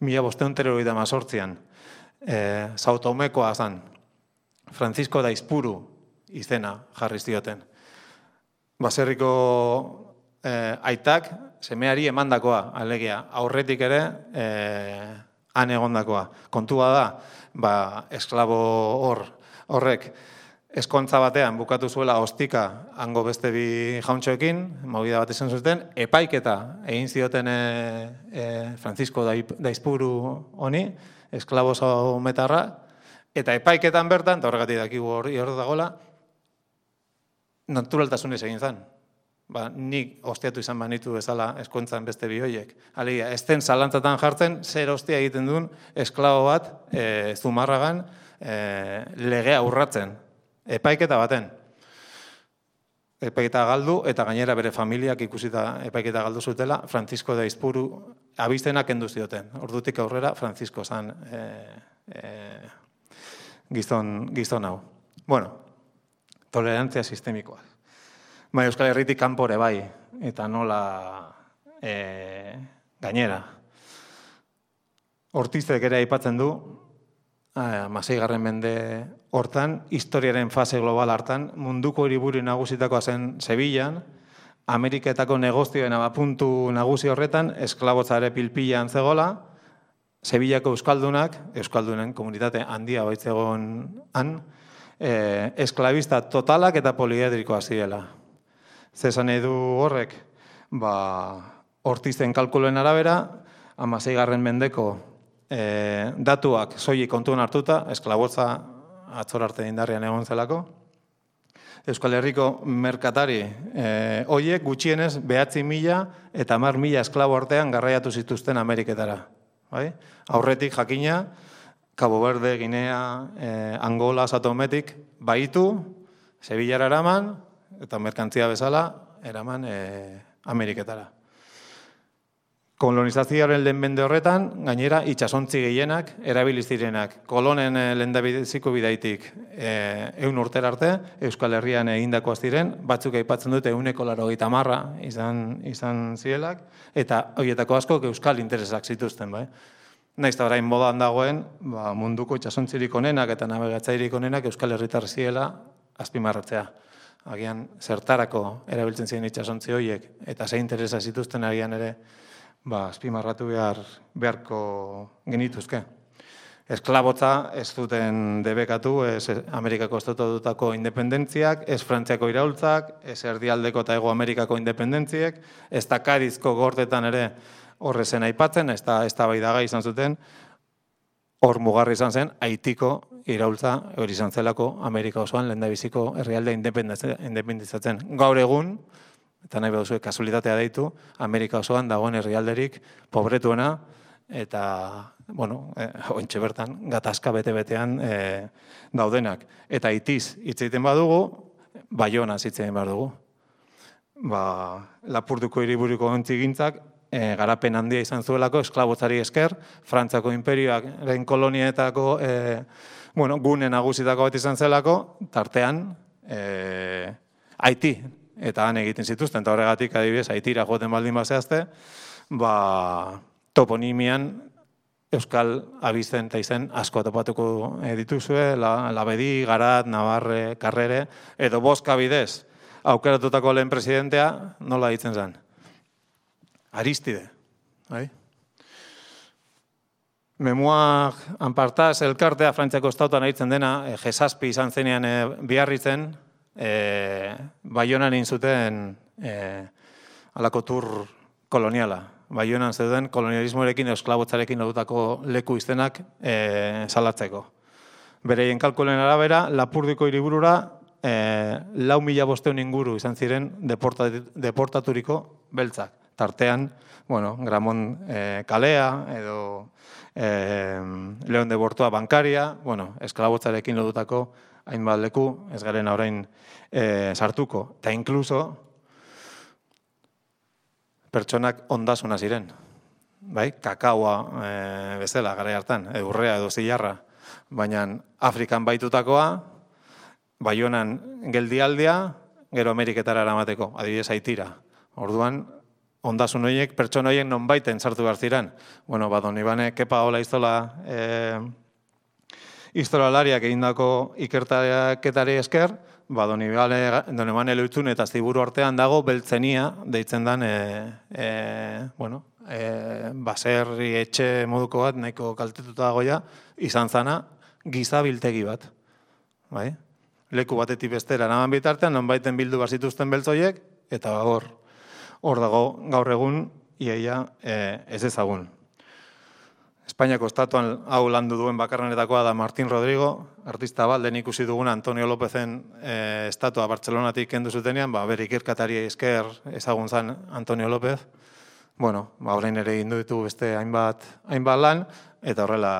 mila bosteun teroida mazortzian. E, Sautomekoa zan, Francisco Daizpuru izena jarri zioten. Baserriko eh, aitak semeari emandakoa, alegia, aurretik ere eh, han egondakoa. Kontua da, ba, esklabo hor, horrek, eskontza batean bukatu zuela ostika hango beste bi jauntxoekin, movida bat izan zuten, epaiketa egin zioten e, e, Francisco Daizpuru honi, esklabo zaumetarra, eta epaiketan bertan, eta horregatik dakigu hori hor dagoela, naturaltasunez egin zen. Ba, nik ostiatu izan banitu bezala eskontzan beste bioiek. Alegia, ez den zalantzatan jartzen, zer ostia egiten duen esklabo bat e, Zumarragan e, legea urratzen. Epaiketa baten. Epaiketa galdu, eta gainera bere familiak ikusita epaiketa galdu zutela, Francisco Daizpuru abistenak kendu zioten. Ordutik aurrera, Francisco zan e, e, gizon, gizon hau. Bueno, tolerantzia sistemikoa. Bai, Euskal Herritik kanpore bai, eta nola e, gainera. Ortizek ere aipatzen du, hamaseigarren mende hortan, historiaren fase global hartan, munduko hiriburu nagusitakoa zen Sevillan, Ameriketako negozioen abapuntu nagusi horretan, esklabotzare pilpilan zegola, Sevillako euskaldunak, euskaldunen komunitate handia baitzegon han, e, esklabista totalak eta poliedrikoa zirela. Zezan edu horrek, ba, Ortizen kalkuluen arabera, hamaseigarren mendeko e, datuak soilik kontuan hartuta, esklabotza atzor arte indarrean egon zelako. Euskal Herriko merkatari e, hoiek gutxienez behatzi mila eta hamar mila esklabo artean garraiatu zituzten Ameriketara. Bai? Aurretik jakina, Cabo Verde, Guinea, e, Angola, Satometik, baitu, Sevillara eraman, eta merkantzia bezala, eraman e, Ameriketara. Kolonizazioaren lehen mende horretan, gainera, itxasontzi gehienak, erabiliz direnak. Kolonen lehendabiziko bidaitik e, eun urtera arte, Euskal Herrian egindakoaz diren, batzuk aipatzen dute euneko laurogeita hamar izan, izan zielak, eta horietako asko Euskal interesak zituzten. Bai? Naiz eta orain modan dagoen, ba, munduko itxasontzirik onenak eta nabigatzairik onenak Euskal Herritar ziela azpimarratzea. Agian zertarako erabiltzen ziren itxasontzi horiek, eta ze interesa zituzten agian ere, ba, azpimarratu behar, beharko genituzke. Esklabotza ez duten debekatu, ez Amerikako estatutako independentziak, ez Frantziako iraultzak, ez Erdialdeko eta Hego Amerikako independentziek, ez da Kadizko gortetan ere horrezen aipatzen, ez da eztabaidagai izan zuten, hor mugarri izan zen, Haitiko iraultza hori izan zelako Amerika osoan lehendabiziko herrialde independentzatzen. Gaur egun, eta nahi behar kasualitatea deitu, Amerika osoan dagoen herrialderik pobretuena, eta, bueno, eh, ointxe bertan, gatazka bete-betean eh, daudenak. Eta Haitiz hitz egiten badugu, Baionaz hitz egiten behar dugu. Ba, Lapurduko hiriburuko ontzigintzak, E, garapen handia izan zuelako, esklabotzari esker, Frantziako imperioaren kolonietako e, bueno, gune nagusitako bat izan zelako, tartean e, Haiti, eta han egiten zituzten, eta horregatik adibidez, Haitira joaten baldin bazehazte, ba, toponimian Euskal abizten eta izen asko topatuko dituzue, la, Labedi, Garat, Navarre, Karrere, edo Boska bidez, aukeratutako lehen presidentea, nola ditzen zen? Aristide. Bai? Memoak anpartaz, elkartea Frantziako estatuan aritzen dena, e, Jesazpi izan zenean e, biarritzen, e, Baionan egin zuten e, alako tur koloniala. Baionan zeuden kolonialismoarekin, esklabotzarekin lotutako leku izenak e, salatzeko. Bereien kalkulen arabera, Lapurdiko hiriburura e, lau mila bosteun inguru izan ziren deportaturiko beltzak. Tartean, bueno, Gramont e, kalea edo e, Leon de Bortoa bankaria, bueno, esklabotzarekin lotutako hainbat leku, ez garen orain e, sartuko. Eta inkluso, pertsonak ondasuna ziren. Bai, kakaoa e, bezala gara hartan, urrea edo zilarra. Baina Afrikan baitutakoa, Baionan geldialdia, gero Ameriketara eramateko, adibidez Haitira. Orduan, ondasun horiek, pertsona horiek non baiten sartu behar ziren. Bueno, ba, Don Ibane, Kepa Ola Iztola, e, historialariak egindako ikertaketari esker, ba, Don Ibane Loitzun eta Ziburu artean dago beltzenia, deitzen dan, e, e, bueno, e, baserri etxe moduko bat, nahiko kaltetuta dagoia, izan zana, gizabiltegi bat. Bai? Leku batetik bestera naman bitartean, non baiten bildu bazituzten beltzoiek, eta hor, hor dago gaur egun, iaia e, ez ezagun. Espainiako estatuan hau landu duen bakarrenetakoa da Martín Rodrigo, artista bat, lehen ikusi duguna Antonio Lópezen e, estatua Bartzelonatik kendu zutenean, ba, bere ikerkatari esker ezagun zan Antonio López. Bueno, ba, orain ere egin ditu beste hainbat, hainbat lan, eta horrela,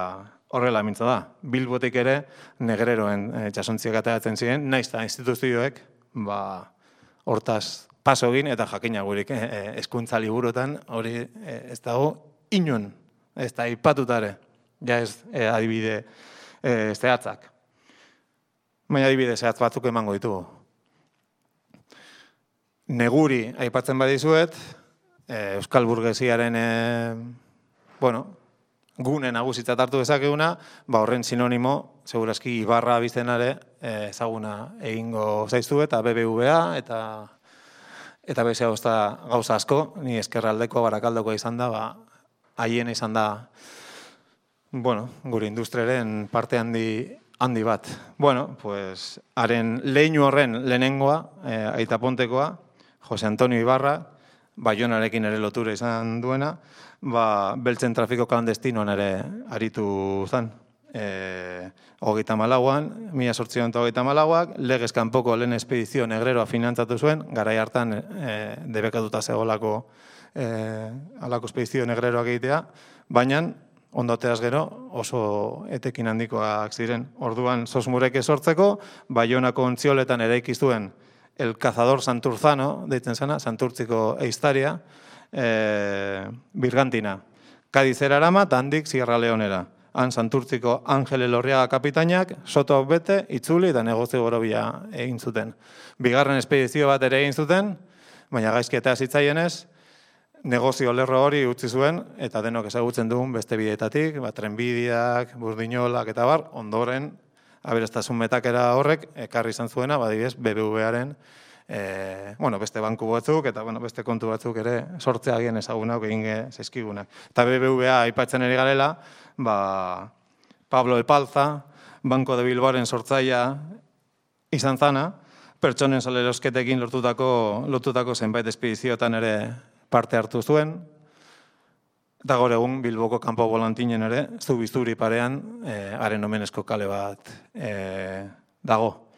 horrela mintza da. Bilbotik ere negreroen e, txasontziak ateratzen ziren, naiz eta instituzioek, ba, hortaz paso egin, eta jakina gurik e, hezkuntza liburuetan hori e, ez dago inon. Ez da, ipatutare, ja ez eh, adibide eh, zehatzak. Baina adibide zehatz batzuk emango ditugu. Neguri aipatzen badizuet, eh, Euskal Burgesiaren eh, bueno, gune nagusitzat hartu dezakeguna, ba horren sinonimo, segurazki Ibarra abizenare eh, ezaguna egingo zaiztu eta B B V A eta eta beste gauza asko, ni ezkerraldeko barakaldoko izan da, ba, haien izan da, bueno, gure industriaren parte handi, handi bat. Bueno, pues, haren leinu horren lehenengoa, eh, Aita Pontekoa, Jose Antonio Ibarra, Baionarekin ere lotura izan duena, ba, beltzen trafiko klandestinoan ere aritu zen. E, hogeita malauan, mila sortzion eta hogeita malauak, legez kanpoko lehen espedizio negreroa finantzatu zuen, garai hartan e, debekatuta zegolako E, alako espedizio negreroak egitea, baina ondoteaz gero oso etekin handikoak ziren. Orduan Sosmurek esortzeko, Baionako ontzioletan eraiki zuen El Cazador Santurzano, deitzen zena, Santurtziko eiztaria, e, Birgantina. Kadizera erama, eta handik Sierra Leonera. Han Santurtziko Angel Elorriaga kapitainak, soto bete, itzuli eta negozio gorobia egin zuten. Bigarren espedizio bat ere egin zuten, baina gaizkietea zitzaienez, negozio lerro hori utzi zuen, eta denok ezagutzen dugun beste bideetatik, ba, trenbideak, burdinolak eta bar, ondoren, aberastasun metakera horrek, ekarri izan zuena, badibidez, B B V-aren, e, bueno, beste banku batzuk, eta bueno, beste kontu batzuk ere sortzea agien ezagunak egin zaizkigunak. Eta B B V-a aipatzen eri garela, ba, Pablo Epalza, Banco de Bilbaoren sortzaia izan zana, pertsonen salerosketekin lortutako, lortutako zenbait espedizioetan ere parte hartu zuen, eta gaur egun Bilboko kanpo bolantinen ere, Zubizuri parean, e, haren omenezko kale bat e, dago.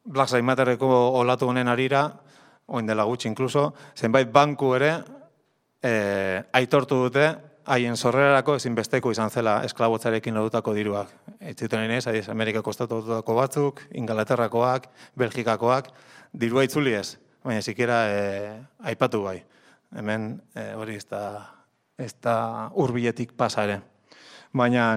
Black Lives Matterreko olatu honen arira, oin dela gutxi inkluso, zenbait banku ere e, aitortu dute, haien sorrerarako ezinbesteko izan zela esklabotzarekin lotutako diruak. Eitzuten inez, adiz, Amerikako estatutako batzuk, Ingalaterrakoak, Belgikakoak, dirua itzuli ez. Baina zikera e, aipatu bai. Hemen e, hori ez da, ez da hurbiletik pasa ere. Baina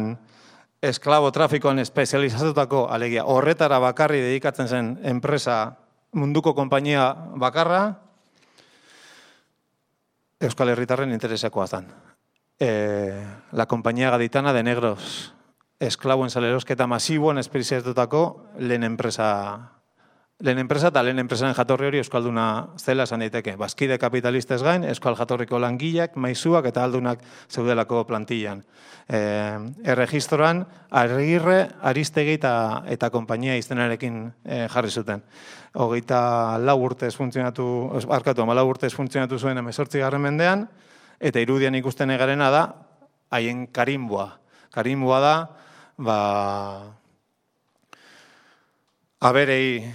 esklabo trafikoan espezializatutako, alegia, horretara bakarri dedikatzen zen enpresa munduko konpainia bakarra, Euskal Herritarren interesakoa zen. E, la Compañía Gaditana de Negros, esklaboen salerosketa masiboan espezializatutako lehen enpresa lehen enpresa eta lehen enpresaren jatorri hori euskalduna zela esan daiteke. Bazkide kapitalistez gain, euskal jatorriko langileak, maizuak eta aldunak zeudelako plantillan. E, erregistroan, Agirre, Aristegi eta, eta konpainia izenarekin e, jarri zuten. Hogeita lau urtez funtzionatu, arkatu, ama lau urtez funtzionatu zuen hemezortzi garren mendean, eta irudian ikusten egarena da, haien karimboa. Karimboa da, ba, aberei,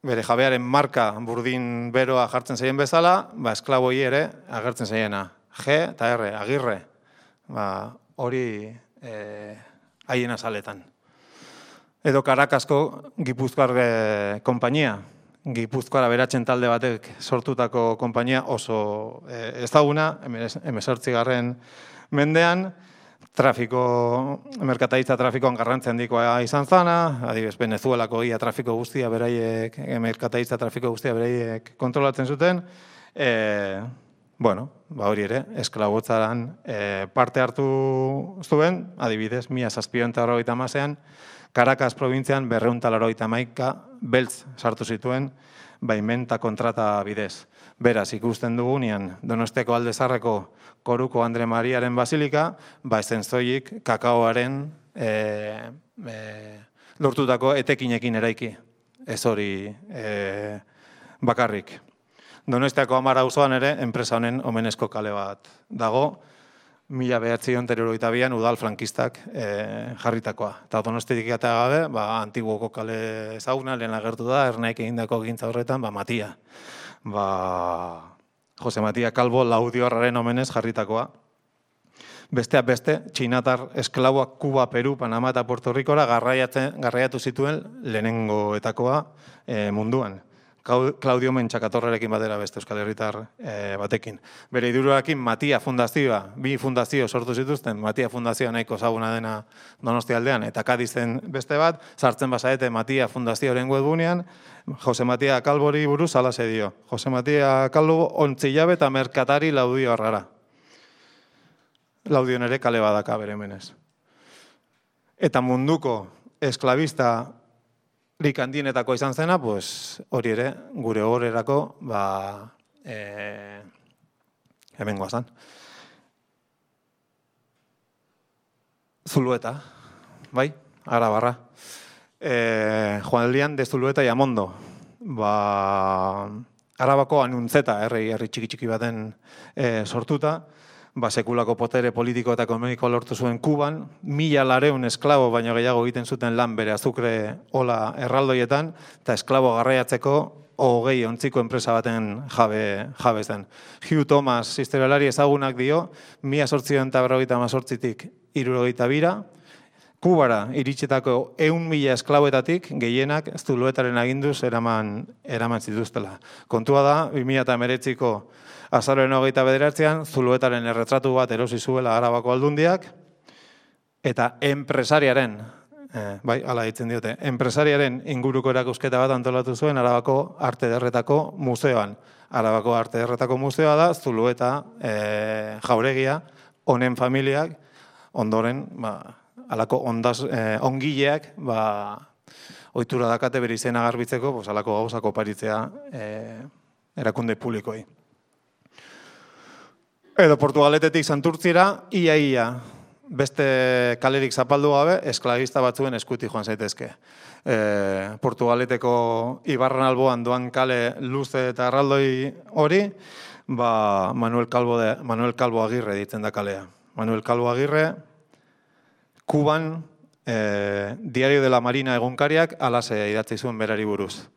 bere jabearen marka burdin beroa jartzen zaien bezala, ba, esklaboi ere agertzen zaiena. G eta R, Agirre, ba, hori e, haien azaletan. Edo Karakasko Gipuzkoar e, konpainia, Gipuzkoara beratzen talde batek sortutako konpainia oso e, ezaguna, hemezortzi garren mendean, trafiko, merkataritza trafikoan garrantzia handikoa izan zana, adibidez Venezuelako ia trafiko guztia beraiek, merkataritza trafiko guztia beraiek kontrolatzen zuten, e, bueno, ba hori ere, esklabotzaran e, parte hartu zuen, adibidez, mila zazpiehun eta laurogeita hamasean, Caracas probintzian berrehun eta laurogeita hamaika beltz sartu zituen baimen eta kontrata bidez. Beraz, ikusten dugunean Donostiako Alde Zaharreko Koruko Andre Mariaren basilika, ba ezen zoik kakaoaren e, e, lortutako etekinekin eraiki. Ez hori e, bakarrik. Donostiako Amara auzoan ere, enpresa honen omenezko kale bat dago, mila bederatziehun eta hirurogeita bian udal frankistak e, jarritakoa. Eta Donostitik eta gabe, ba, antiguoko kale ezaguna, lehen agertu da, Ernaik egindako gintza horretan, ba, Matia. Ba, Jose Matia Calvo Laudiorraren omenez jarritakoa. Besteak beste, txinatar esklaboak Kuba, Peru, Panama eta Puerto Ricora garraiatu zituen lehenengoetakoa e, munduan. Claudio Mentxakatorrerekin batera beste euskal herritar e, batekin. Bere idururakin Matia Fundazioa, bi fundazio sortu zituzten, Matia Fundazioa nahiko ezaguna dena Donostia aldean, eta Kadizen beste bat, sartzen basaete Matia Fundazioaren webgunean, Jose Matia Calvori buruz alase dio. Jose Matia Calvo ontzilabe eta merkatari Laudio arrara. Laudion ere kale badaka bere menez. Eta munduko esklabista lik handienetako izan zena, pues, hori ere, gure horrerako, ba, e, hemen guazan. Zulueta, bai, Arabarra. E, Juan Elian de Zulueta y Amondo. Ba, Arabako Anuntzeta, herri, herri txiki-txiki baten e, sortuta, ba, sekulako potere politiko eta ekonomiko lortu zuen Kuban, mila lareun esklabo baino gehiago egiten zuten lan bere azukre ola erraldoietan, eta esklabo garraiatzeko hogei ontziko enpresa baten jabe, jabe zen. Hugh Thomas, historialari ezagunak dio, mila zortziehun eta berrogeita hamazortzitik hirurogeita bira, Kubara iritsitako ehun mila esklaboetatik gehienak Zuluetaren aginduz eraman, eraman zituztela. Kontua da, bi mila hemeretziko azaroaren hogeita bederatzean, Zuluetaren erretratu bat erosi zuela Arabako aldundiak, eta enpresariaren, eh, bai, ala ditzen diote, enpresariaren inguruko erakusketa bat antolatu zuen Arabako Arte Ederretako museoan. Arabako Arte Ederretako museoa da, Zulueta eh, jauregia, honen familiak, ondoren, ba, alako ondaz, eh, ongileak, ba, ohitura dakate bere izena garbitzeko, pues, alako gauzak oparitzea eh, erakunde publikoi. Edo Portugaletetik Santurtzira, ia ia, beste kalerik zapaldu gabe, esklabista batzuen eskuti joan zaitezke. E, Portugaleteko Ibarran alboan doan kale luze eta erraldoi hori, ba, Manuel Calvo, de, Manuel Calvo Agirre ditzen da kalea. Manuel Calvo Agirre, Kuban, e, Diario de la Marina egunkariak alase idatzi zuen berari buruz.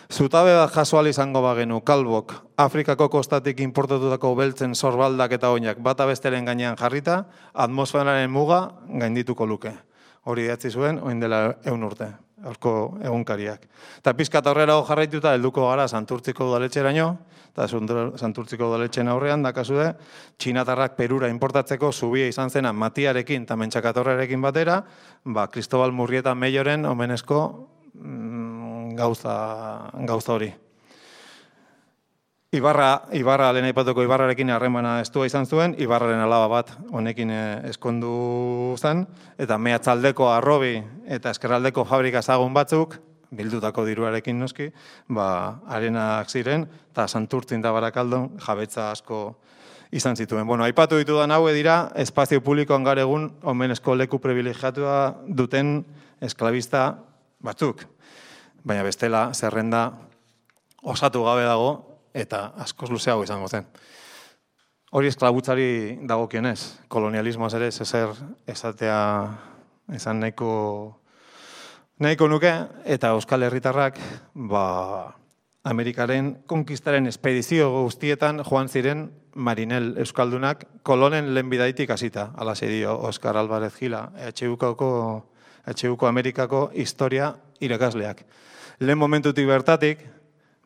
Zutabe bat jasoal izango bagenu Kalbok Afrikako kostatik importatutako beltzen sorbaldak eta oinak bata besteren gainean jarrita, atmosferaren muga gaindituko luke. Hori idatzi zuen, oin dela ehun urte, horko egunkariak. Eta pizkat aurrera jarraituta helduko gara Santurtziko udaletxeraino, eta Santurtziko udaletxen aurrean dakazude, txinatarrak Perura importatzeko zubia izan zena Matiarekin eta Mentxakatorrerekin batera, ba, Cristobal Murrieta Meioren omenezko mm, gauza, gauza hori. Ibarra, Ibarra lehen aipatuko Ibarrarekin harremana estua izan zuen, Ibarraren alaba bat honekin eskondu zen, eta mehatzaldeko arrobi eta eskerraldeko fabrika ezagun batzuk, bildutako diruarekin noski, ba, arenak ziren, eta Santurtzin da Barakaldon jabetza asko izan zituen. Bueno, aipatu ditudan haue dira, espazio publikoan gaur egun omenezko leku privilegiatua duten esklabista batzuk. Baina bestela, zerrenda osatu gabe dago, eta askoz luzeago izango zen. Hori esklabutzari dagokionez, kolonialismoaz ere ezer esatea esan nahiko nahiko nuke, eta Euskal Herritarrak ba, Amerikaren konkistaren espedizio guztietan joan ziren marinel euskaldunak kolonen lehen bidaitik hasita, alaxe dio Oskar Alvarez Gila, E H U ko Amerikako historia irakasleak. Lehen momentutik bertatik,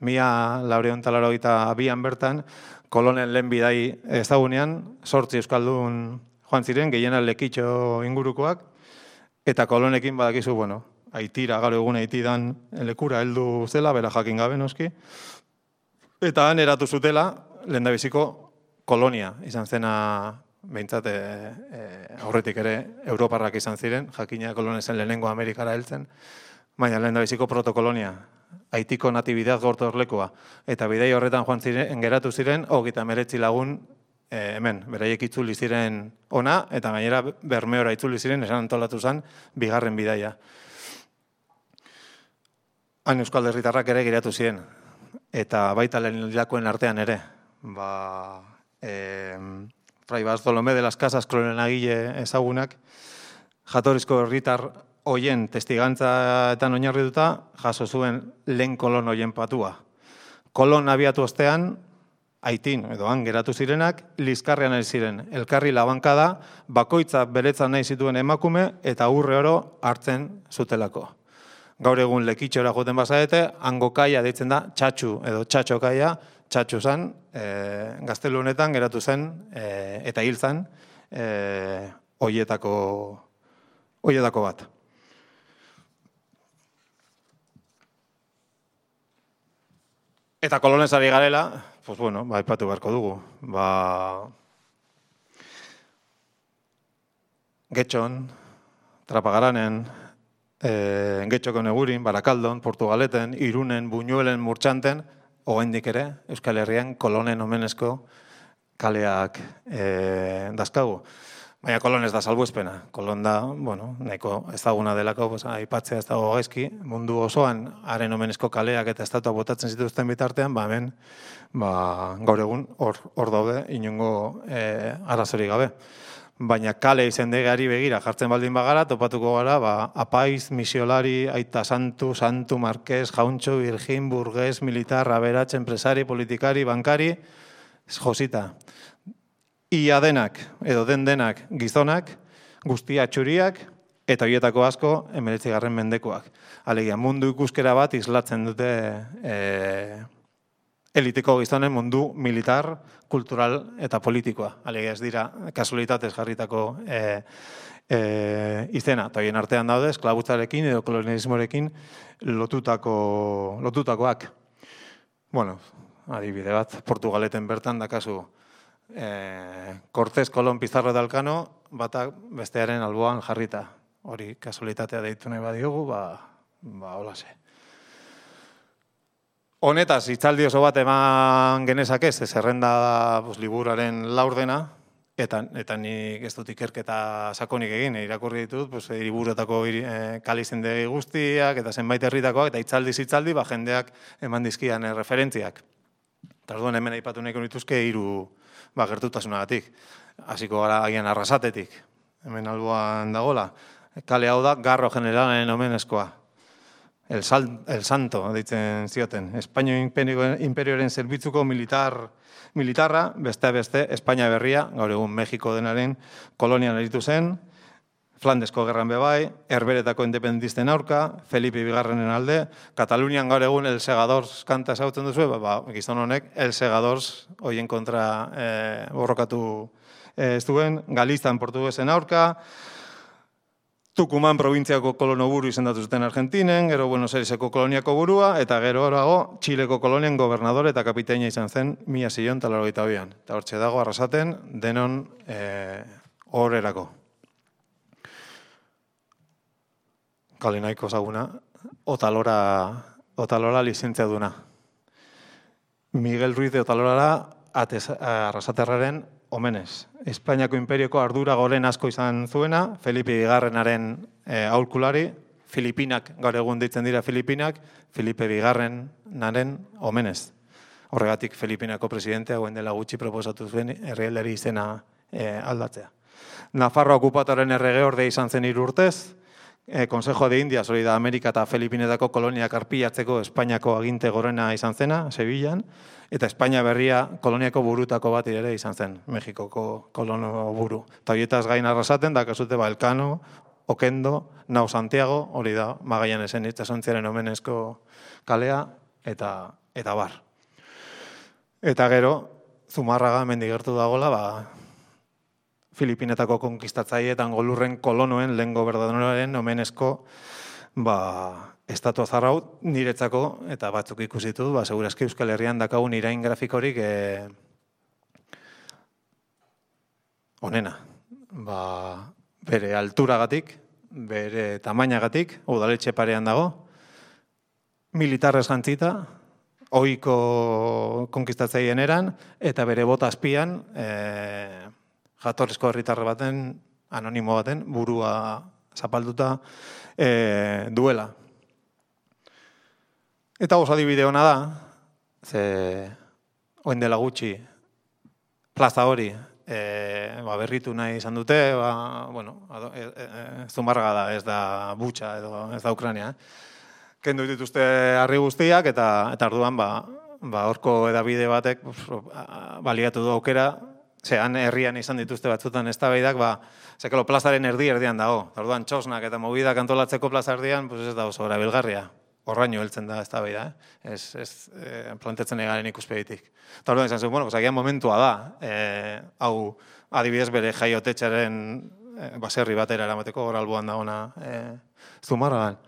mila laureun eta laurogeita bian bertan, kolonen lehen bidai ezagunean, sortzi euskaldun joan ziren, gehiena Lekitxo ingurukoak, eta kolonekin badakizu, bueno, Haitira, gaur egun Haitidan lekura heldu zela, bera jakin gabe noski, eta han eratu zutela, lehendabiziko kolonia izan zena, behintzat e, e, aurretik ere Europarrak izan ziren, jakina kolonezen lehenengo Amerikara heltzen, baina lehendabiziko protokolonia, Haitiko natibidad gortorlekoa, eta bidai horretan joan ziren, geratu ziren, hogeita hemeretzi lagun e, hemen, beraiek itzuli ziren ona, eta gainera Bermeora itzuli ziren, esan antolatu zen, bigarren bidaia. Han Euskal Herritarrak ere geratu ziren, eta baita lehen hilakoen artean ere, ba, e, Fray Bartolomé de las Casas kolonenagile ezagunak, jatorrizko herritar hoien testigantzaetan oinarrituta jaso zuen lehen kolon hoien patua. Kolon abiatu ostean, Haitin edo han geratu zirenak, liskarrean ari ziren, elkarri labankada, bakoitza beretzan nahi zituen emakume eta urre oro hartzen zutelako. Gaur egun Lekitxora joten bazarete, hango kaia deitzen da txatxu edo txatxo kaia, txatxu zen, e, gaztelu honetan geratu zen e, eta hil zen e, hoietako, hoietako bat. Eta kolonesari garela, pues bueno, ba, aipatu beharko dugu. Ba, Getxon, Trapagaranen, E, Getxoko Negurin, Barakaldon, Portugaleten, Irunen, Buñuelen, Murtxanten, oraindik ere, Euskal Herrian kolonen omenezko kaleak e, dazkagu. Baina kolon ez da salbuespena. Kolon da, bueno, nahiko ezaguna delako, pues, aipatzea ez dago gaizki, mundu osoan haren omenezko kaleak eta estatua botatzen zituzten bitartean, ba hemen, ba, gaur egun hor, hor daude inongo e, arazorik gabe. Baina kale izendegari begira jartzen baldin bagara, topatuko gara, ba, apaiz, misiolari, aita santu, santu, marqués, jauntxo, virgin, burgués, militar, aberatx, enpresari, politikari, bankari, josita. Ia denak, edo den denak gizonak, guztia txuriak, eta horietako asko, hemeretzigarren mendekoak. Alegia, mundu ikuskera bat islatzen dute e, elitiko gizonen mundu militar, kultural eta politikoa. Alegia ez dira kasualitatez jarritako e, e, izena. Eta horien artean daude, esklabutzarekin edo kolonialismorekin lotutako, lotutakoak. Bueno, adibide bat, Portugaleten bertan dakazu e, Cortés, Colón, Pizarro eta Elkano, batak bestearen alboan jarrita. Hori kasualitatea deitu nahi badiogu, ba, ba holase. Honetaz, hitzaldi oso bat eman genezakez, zerrenda da pues, liburuaren laurdena, eta, eta nik ez dut ikerketa sakonik egin, irakurri ditut, pues, liburuetako e, kalizendegi guztiak, eta zenbait herritakoak, eta hitzaldi hitzaldi ba, jendeak eman dizkian e, referentziak. Eta orduan hemen aipatu nahiko nituzke hiru ba, gertutasunagatik. Hasiko gara agian Arrasatetik, hemen alboan dagola. Kale hau da, Garro Generalen omenezkoa. El, sal, el Santo, ditzen zioten. Espainio imperioaren zerbitzuko militar, militarra, beste beste, Espainia berria, gaur egun Mexiko denaren kolonian eritu zen, Flandesko gerran bebai, Herberetako independentisten aurka, Felipe bigarrenen alde, Katalunian gaur egun El Segadors kanta ezagutzen duzu, ba, ba, gizon honek El Segadors hoien kontra eh, borrokatu eh, ez duen, Galiztan portuguesen aurka, Tucumán probintziako kolono buru izendatu zuten Argentinen, gero Buenos Aireseko koloniako burua, eta gero horago Txileko kolonien gobernador eta kapitaina izan zen mila zillion eta laurogeita bian. Eta hortxe dago Arrasaten denon horrerako. E, Kale nahiko zaguna, Otalora, Otalora lizentziaduna. Miguel Ruiz de Otalora Arrasaterraren omenez. Espainiako imperioko ardura goren asko izan zuena, Felipe Bigarrenaren e, aholkulari, Filipinak, gaur egun deitzen dira Filipinak, Felipe Bigarrenaren omenez. Horregatik Filipinako presidentea goen dela gutxi proposatu zuen herrialdari izena e, aldatzea. Nafarroa okupatoren errege orde izan zen hiru urtez, e, Consejo de Indias, hori da Amerika eta Filipinetako koloniak arpilatzeko Espainiako aginte gorena izan zena, Sevillan, eta Espainia berria koloniako burutako bat ere izan zen, Mexikoko kolono buru. Eta horietaz gain arrasaten, da kasute ba, Elkano, Okendo, Nau Santiago, hori da Magallanesen itsasontziaren omenezko kalea, eta, eta bar. Eta gero, Zumarraga mendigertu dagoela, ba, Filipinetako konkistatzaietan golurren kolonoen lehen gobernadorearen omenezko ba, estatua zarraut niretzako, eta batzuk ikusitu, ba, segurazki Euskal Herrian dakagun irain grafikorik e, onena. Ba, bere alturagatik, bere tamainagatik, udaletxe parean dago, militarrez jantzita, ohiko konkistatzaien eran, eta bere bota azpian, e, jatorrizko herritarre baten, anonimo baten, burua zapalduta e, duela. Eta oso adibide hona da, ze oen dela gutxi plaza hori e, ba, berritu nahi izan dute, ba, bueno, e, e, Zumarraga da, ez da Butxa edo ez da Ukrania. Eh? Kendu dituzte harri guztiak eta eta orduan ba ba horko edabide batek baliatu du aukera, zean herrian izan dituzte batzutan eztabaidak, ba zekalo plazaren erdi erdian dago. Orduan txosnak eta mobidak antolatzeko plaza erdian, pues ez da oso erabilgarria. Horraino heltzen da eztabaida, eh? Ez ez eh, planteatzen egaren ikuspegitik. Eta orduan izan zen, bueno, pues agian momentua da, eh, hau adibidez bere jaiotetxaren eh, baserri batera eramateko gora alboan dagoena eh, Zumarragan.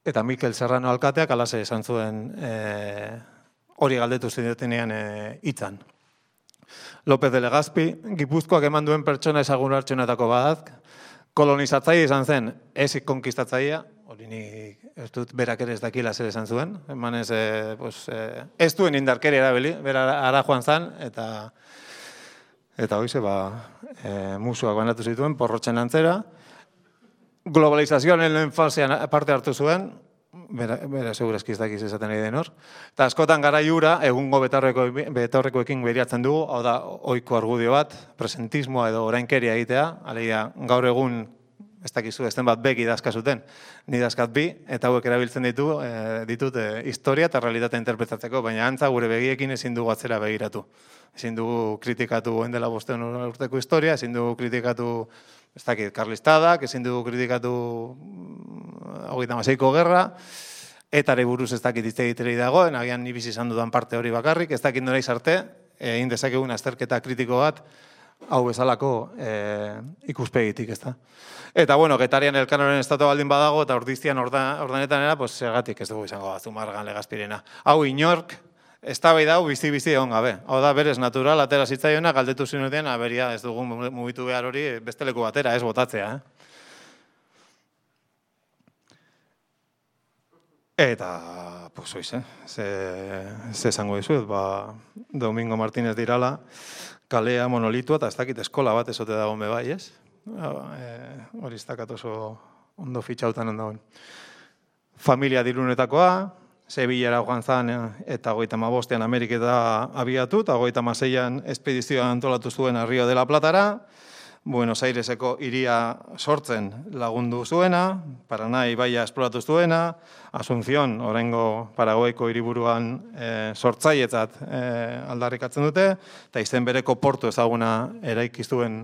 Eta Mikel Serrano alkateak alase esan zuen e, hori galdetu zinetenean hitzan. E, López de Legazpi, Gipuzkoak eman duen pertsona ezagun hartxonetako badak, kolonizatzaile izan zen, ez konkistatzailea, hori ni ez dut berak ere ez dakila zer esan zuen, eman ez, e, pues, e, ez duen indarkeria erabili, bera ara joan zen, eta eta hoize, ba, e, musuak banatu zituen, porrotzen antzera, globalizazioan lehen fasean parte hartu zuen, bera, bera segurazki ez dakiz esaten nahi den hor, eta askotan garaiura egungo betaurrekoekin beriatzen dugu, hau da, ohiko argudio bat, presentismoa edo orainkeria egitea, alegia gaur egun, ez dakizu, ezten bat bek idazka zuten, ni dazkat bi, eta hauek erabiltzen ditu, e, ditut e, historia eta realitatea interpretatzeko, baina antza gure begiekin ezin dugu atzera begiratu. Ezin dugu kritikatu endela bosteun urteko historia, ezin dugu kritikatu ez dakit, karlistadak, ezin dugu kritikatu hogeita hamaseiko gerra, etare buruz ez dakit hitz egiteri dagoen, agian ni bizi izan dudan parte hori bakarrik, ez dakit noraiz arte, egin dezakegun azterketa kritiko bat, hau bezalako e, ikuspegitik, ez da. Eta, bueno, Getarian Elkanoren estatua baldin badago, eta Ordizian ordanetan era, pues, segatik ez dugu izango Zumarragan Legazpirena. Hau inork, eztabaida hau bizi-bizi egon gabe. Hau da, berez natural, atera zitzaiona, galdetu zinuten, aberia ez dugu mugitu behar hori beste leku batera, ez botatzea. Eh? Eta, pues, oiz, eh? ze, ze esango dizuet, ba, Domingo Martínez dirala, kalea monolitua, eta ez dakit eskola bat ezote dagoen bebai, ez? Hori ez dakat oso ondo fitxautan ondagoen. Familia dirunetakoa, Sevillara joan zan eta hogeita hamabostean Ameriketa abiatu, eta hogeita hamaseian espedizioa antolatu zuen Rio de la Platara, Buenos Aireseko hiria sortzen lagundu zuena, Paraná ibaia esploratu zuena, Asunción, oraingo Paraguaiko hiriburuan e, sortzailetzat e, aldarrikatzen dute, eta izen bereko portu ezaguna eraiki zuen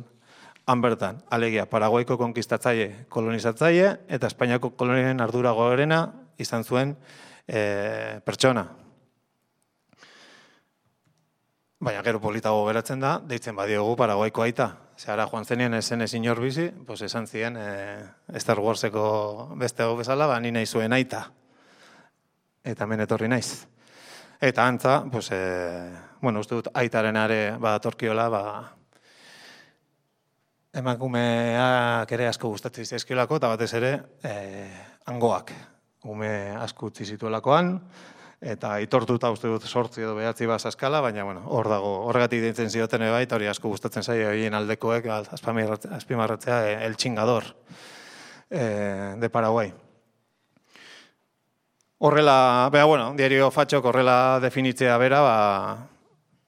han bertan. Alegia, Paraguaiko konkistatzaile, kolonizatzaile, eta Espainiako kolonien ardura gorena izan zuen E, pertsona. Baina gero politago geratzen da, deitzen badiogu Paraguaiko aita. Zehara joan zenean esen ezin hor bizi, pues esan ziren e, Star Warseko beste hau bezala, ba, ni nahi zuen aita. Eta hemen etorri naiz. Eta antza, pues, e, bueno, uste dut aitaren are badatorkiola, ba, emakumeak ere asko gustatzen zaizkiolako, eta batez ere, e, hangoak, ume asko utzi zituelakoan, eta itortuta uste dut sortzi edo behatzi bat eskala, baina bueno, hor dago, horregatik deitzen zioten bai, eta hori asko gustatzen zaio horien aldekoek, azpimarratzea el chingador eh, de Paraguay. Horrela, beha, bueno, diario fatxok horrela definitzea bera, ba,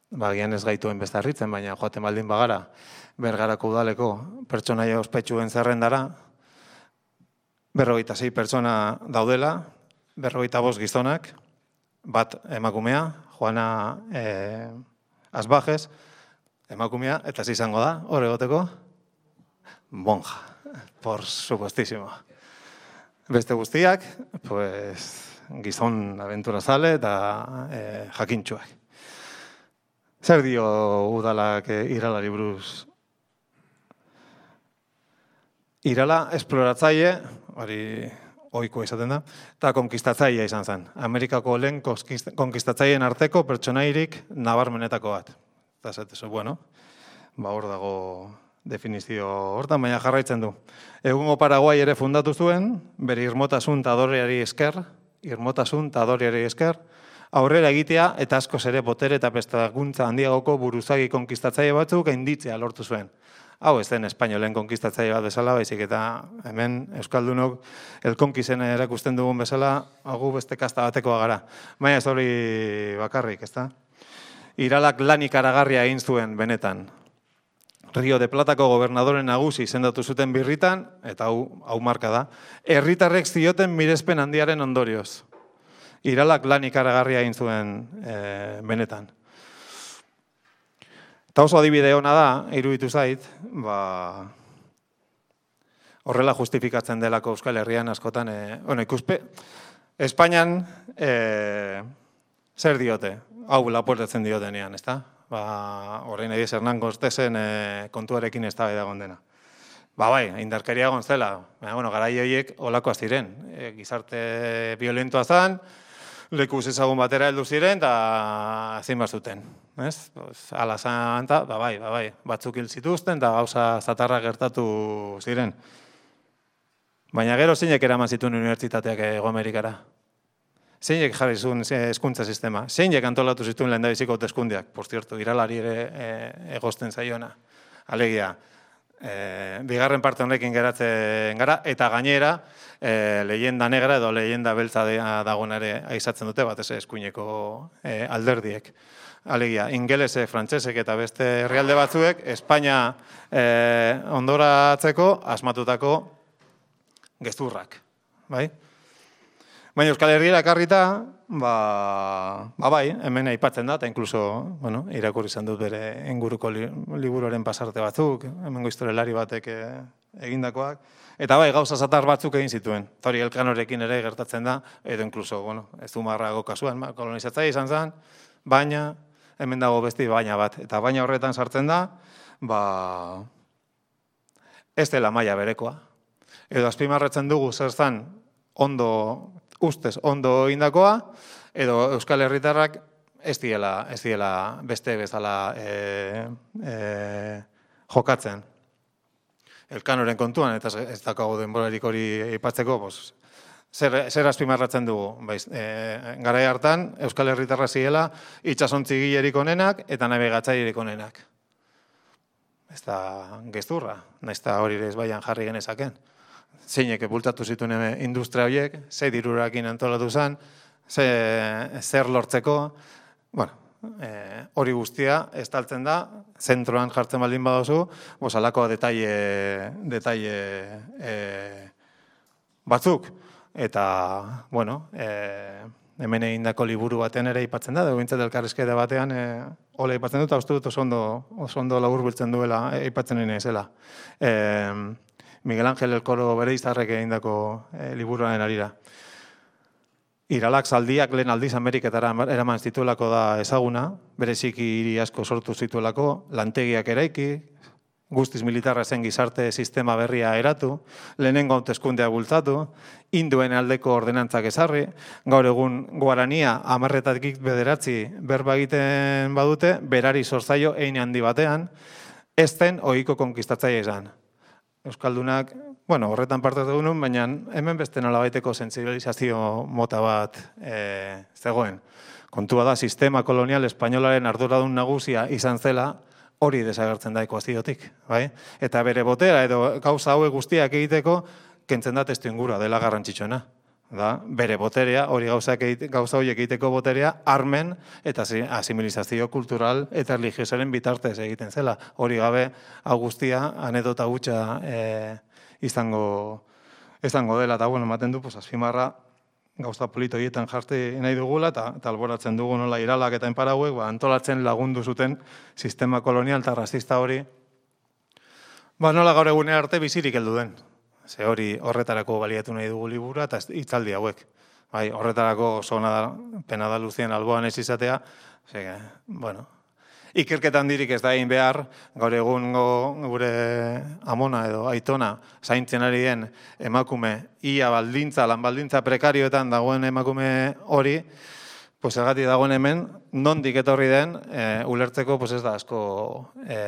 ba gian ez gaituen beste harritzen, baina joaten baldin bagara, Bergarako udaleko pertsonaia ospetsuen zerrendara, berrogeita sei pertsona daudela, berrogeita bost gizonak, bat emakumea, Juana eh, Asbajes, emakumea, eta izango da, hor egoteko, monja, por supuestísimo. Beste guztiak, pues, gizon aventurazale eta eh, jakintxuak. Zer dio udalak eh, Iralari buruz? Irala esploratzaile, hori ohikoa izaten da, eta konkistatzailea izan zen. Amerikako lehen konkistatzaileen arteko pertsonairik nabarmenetako bat. Eta zatezu, bueno, ba hor dago definizio hortan, baina jarraitzen du. Egungo Paraguai ere fundatu zuen, bere irmotasun eta adoreari esker, irmotasun eta adoreari esker, aurrera egitea eta askoz ere botere eta prestakuntza handiagoko buruzagi konkistatzaile batzuk gainditzea lortu zuen. Hau ez den espainolen konkistatzaile bat bezala, baizik eta hemen Euskaldunok elkonkizen erakusten dugun bezala, hagu beste kasta batekoa gara. Baina ez hori bakarrik, ezta? Iralak lan ikaragarria egin zuen benetan. Rio de Platako gobernadoren nagusi izendatu zuten birritan, eta hau, hau marka da, herritarrek zioten mirespen handiaren ondorioz. Iralak lan ikaragarria egin zuen e, benetan. Eta oso adibide hona da, iruditu zait, ba, horrela justifikatzen delako Euskal Herrian askotan, e, bueno, ikuspe, Espainian e, zer diote, hau laportatzen diotenean, ezta? Ba, horrein ediz Hernán Cortesen e, kontuarekin ez da edagon dena. Ba bai, indarkeria egon zela, baina, bueno, garai horiek olakoa ziren, e, gizarte violentoa zan, lekuz ezagun batera heldu ziren, eta ezin bat zuten. Ez? Ala zan, ba bai, ba bai, batzuk hil zituzten, eta gauza zatarra gertatu ziren. Baina gero zeinek eraman zituen unibertsitateak Hego Amerikara? Zeinek jarri zuen hezkuntza sistema? Zeinek antolatu zituen lehendabiziko hauteskundeak? Por cierto, Iralari ere e, egosten zaiona. Alegia, e, bigarren parte honekin geratzen gara, eta gainera, e, leyenda negra edo leyenda beltza dagoen ere aizatzen dute, bat ez eskuineko e, alderdiek. Alegia, ingelese, frantsesek eta beste herrialde batzuek, Espainia e, ondoratzeko asmatutako gezurrak, bai? Baina Euskal Herriera ekarrita, ba, ba bai, hemen aipatzen da, eta inkluso, bueno, irakurri izan dut bere inguruko li, liburuaren pasarte batzuk, hemengo historialari batek e, egindakoak, eta bai, gauza zatar batzuk egin zituen. Tori Elkanorekin ere gertatzen da, edo inkluso, bueno, ez Zumarrago kasuan, kolonizatzaile izan zen, baina, hemen dago besti baina bat, eta baina horretan sartzen da, ba, ez dela maila berekoa. Edo azpimarratzen dugu zer zan ondo, ustez ondo indakoa, edo Euskal Herritarrak ez diela, ez diela beste bezala e, e, jokatzen. Elkanoren kontuan, eta ez dakago denborarik hori aipatzeko, pues, zer, zer azpimarratzen dugu. Baiz, e, garai hartan, Euskal Herritarra ziela itxasontzi gilerik onenak eta nabigatzailerik onenak. Ez da gezurra, nahiz eta hori ez baian jarri genezaken. Zeinek bultatu zituen industria horiek, zei dirurakin antolatu zen, ze, zer lortzeko, bueno, e, hori guztia estaltzen da, zentroan jartzen baldin badozu, alako detaile, detaile e, batzuk. Eta, bueno, e, hemen egindako liburu batean ere aipatzen da, dugintzat elkarrizketa batean, e, hola aipatzen dut, eta uste dut oso ondo, oso ondo labur biltzen duela, aipatzen nire zela. E, Miguel Ángel Elkoro bere izarrek egindako e, liburuaren arira. Iralak zaldiak lehen aldiz Ameriketara eraman zituelako da ezaguna, bereziki hiri asko sortu zituelako, lantegiak eraiki, guztiz militarra zen gizarte sistema berria eratu, lehenengo hauteskundeak bultzatu, induen aldeko ordenantzak ezarri, gaur egun guarania hamarretatik bederatzi berba egiten badute, berari sortzaio hein handi batean, ez zen ohiko konkistatzaile izan. Euskaldunak, bueno, horretan parte dugun, baina hemen beste nolabaiteko sentsibilizazio mota bat e, zegoen. Kontua da, sistema kolonial espainolaren arduradun nagusia izan zela, hori desagertzen da ekuaziotik, bai? Eta bere botera edo gauza hauek guztiak egiteko, kentzen da testuingurua dela garrantzitsuena. Da, bere boterea, hori gauza horiek egiteko boterea, armen eta asimilizazio kultural eta religiosoaren bitartez egiten zela. Hori gabe, hau guztia, anedota gutxa e, izango, izango dela, eta bueno, ematen du, pues, azpimarra gauza polito horietan jarti nahi dugula, eta, eta alboratzen dugu nola iralak eta enparauek, ba, antolatzen lagundu zuten sistema kolonial eta rasista hori, ba, nola gaur egunera arte bizirik heldu den. Ze hori horretarako baliatu nahi dugu libura eta hitzaldi hauek. Bai, horretarako oso ona da, pena da Luzien alboan ez izatea, ze, bueno, ikerketan dirik ez da egin behar, gaur egungo gure amona edo aitona zaintzen ari den emakume ia baldintza, lan baldintza prekarioetan dagoen emakume hori, pues ergatik dagoen hemen, nondik etorri den, e, ulertzeko pues ez da asko e,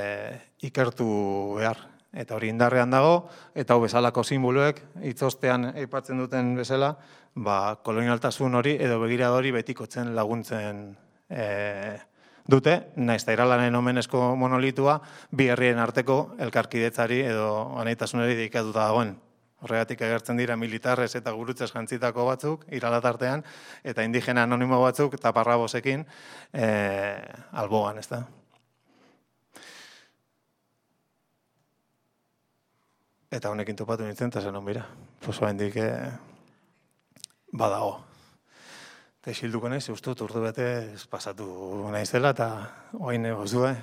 ikertu behar. Eta hori indarrean dago, eta hau bezalako simboloek, hitzostean aipatzen duten bezala, ba, kolonialtasun hori edo begirada hori betikotzen laguntzen e, dute, naiz eta iralanen omenezko monolitua, bi herrien arteko elkarkidetzari edo anaitasunari dedikatuta dagoen. Horregatik agertzen dira militarrez eta gurutzez jantzitako batzuk, iralatartean, eta indigena anonimo batzuk, eta parrabosekin, e, alboan, ez da. Eta honekin topatu nintzen, eta zen honbira. Pues oaindik eh, badago. Eta isilduko nahiz, ustut urdu bete pasatu naizela, eta oain egozue,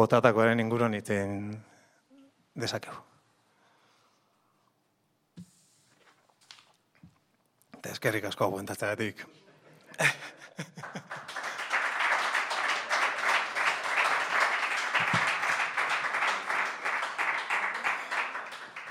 botatakoaren inguruan iten dezakegu. Eta eskerrik asko aguantatzeagatik.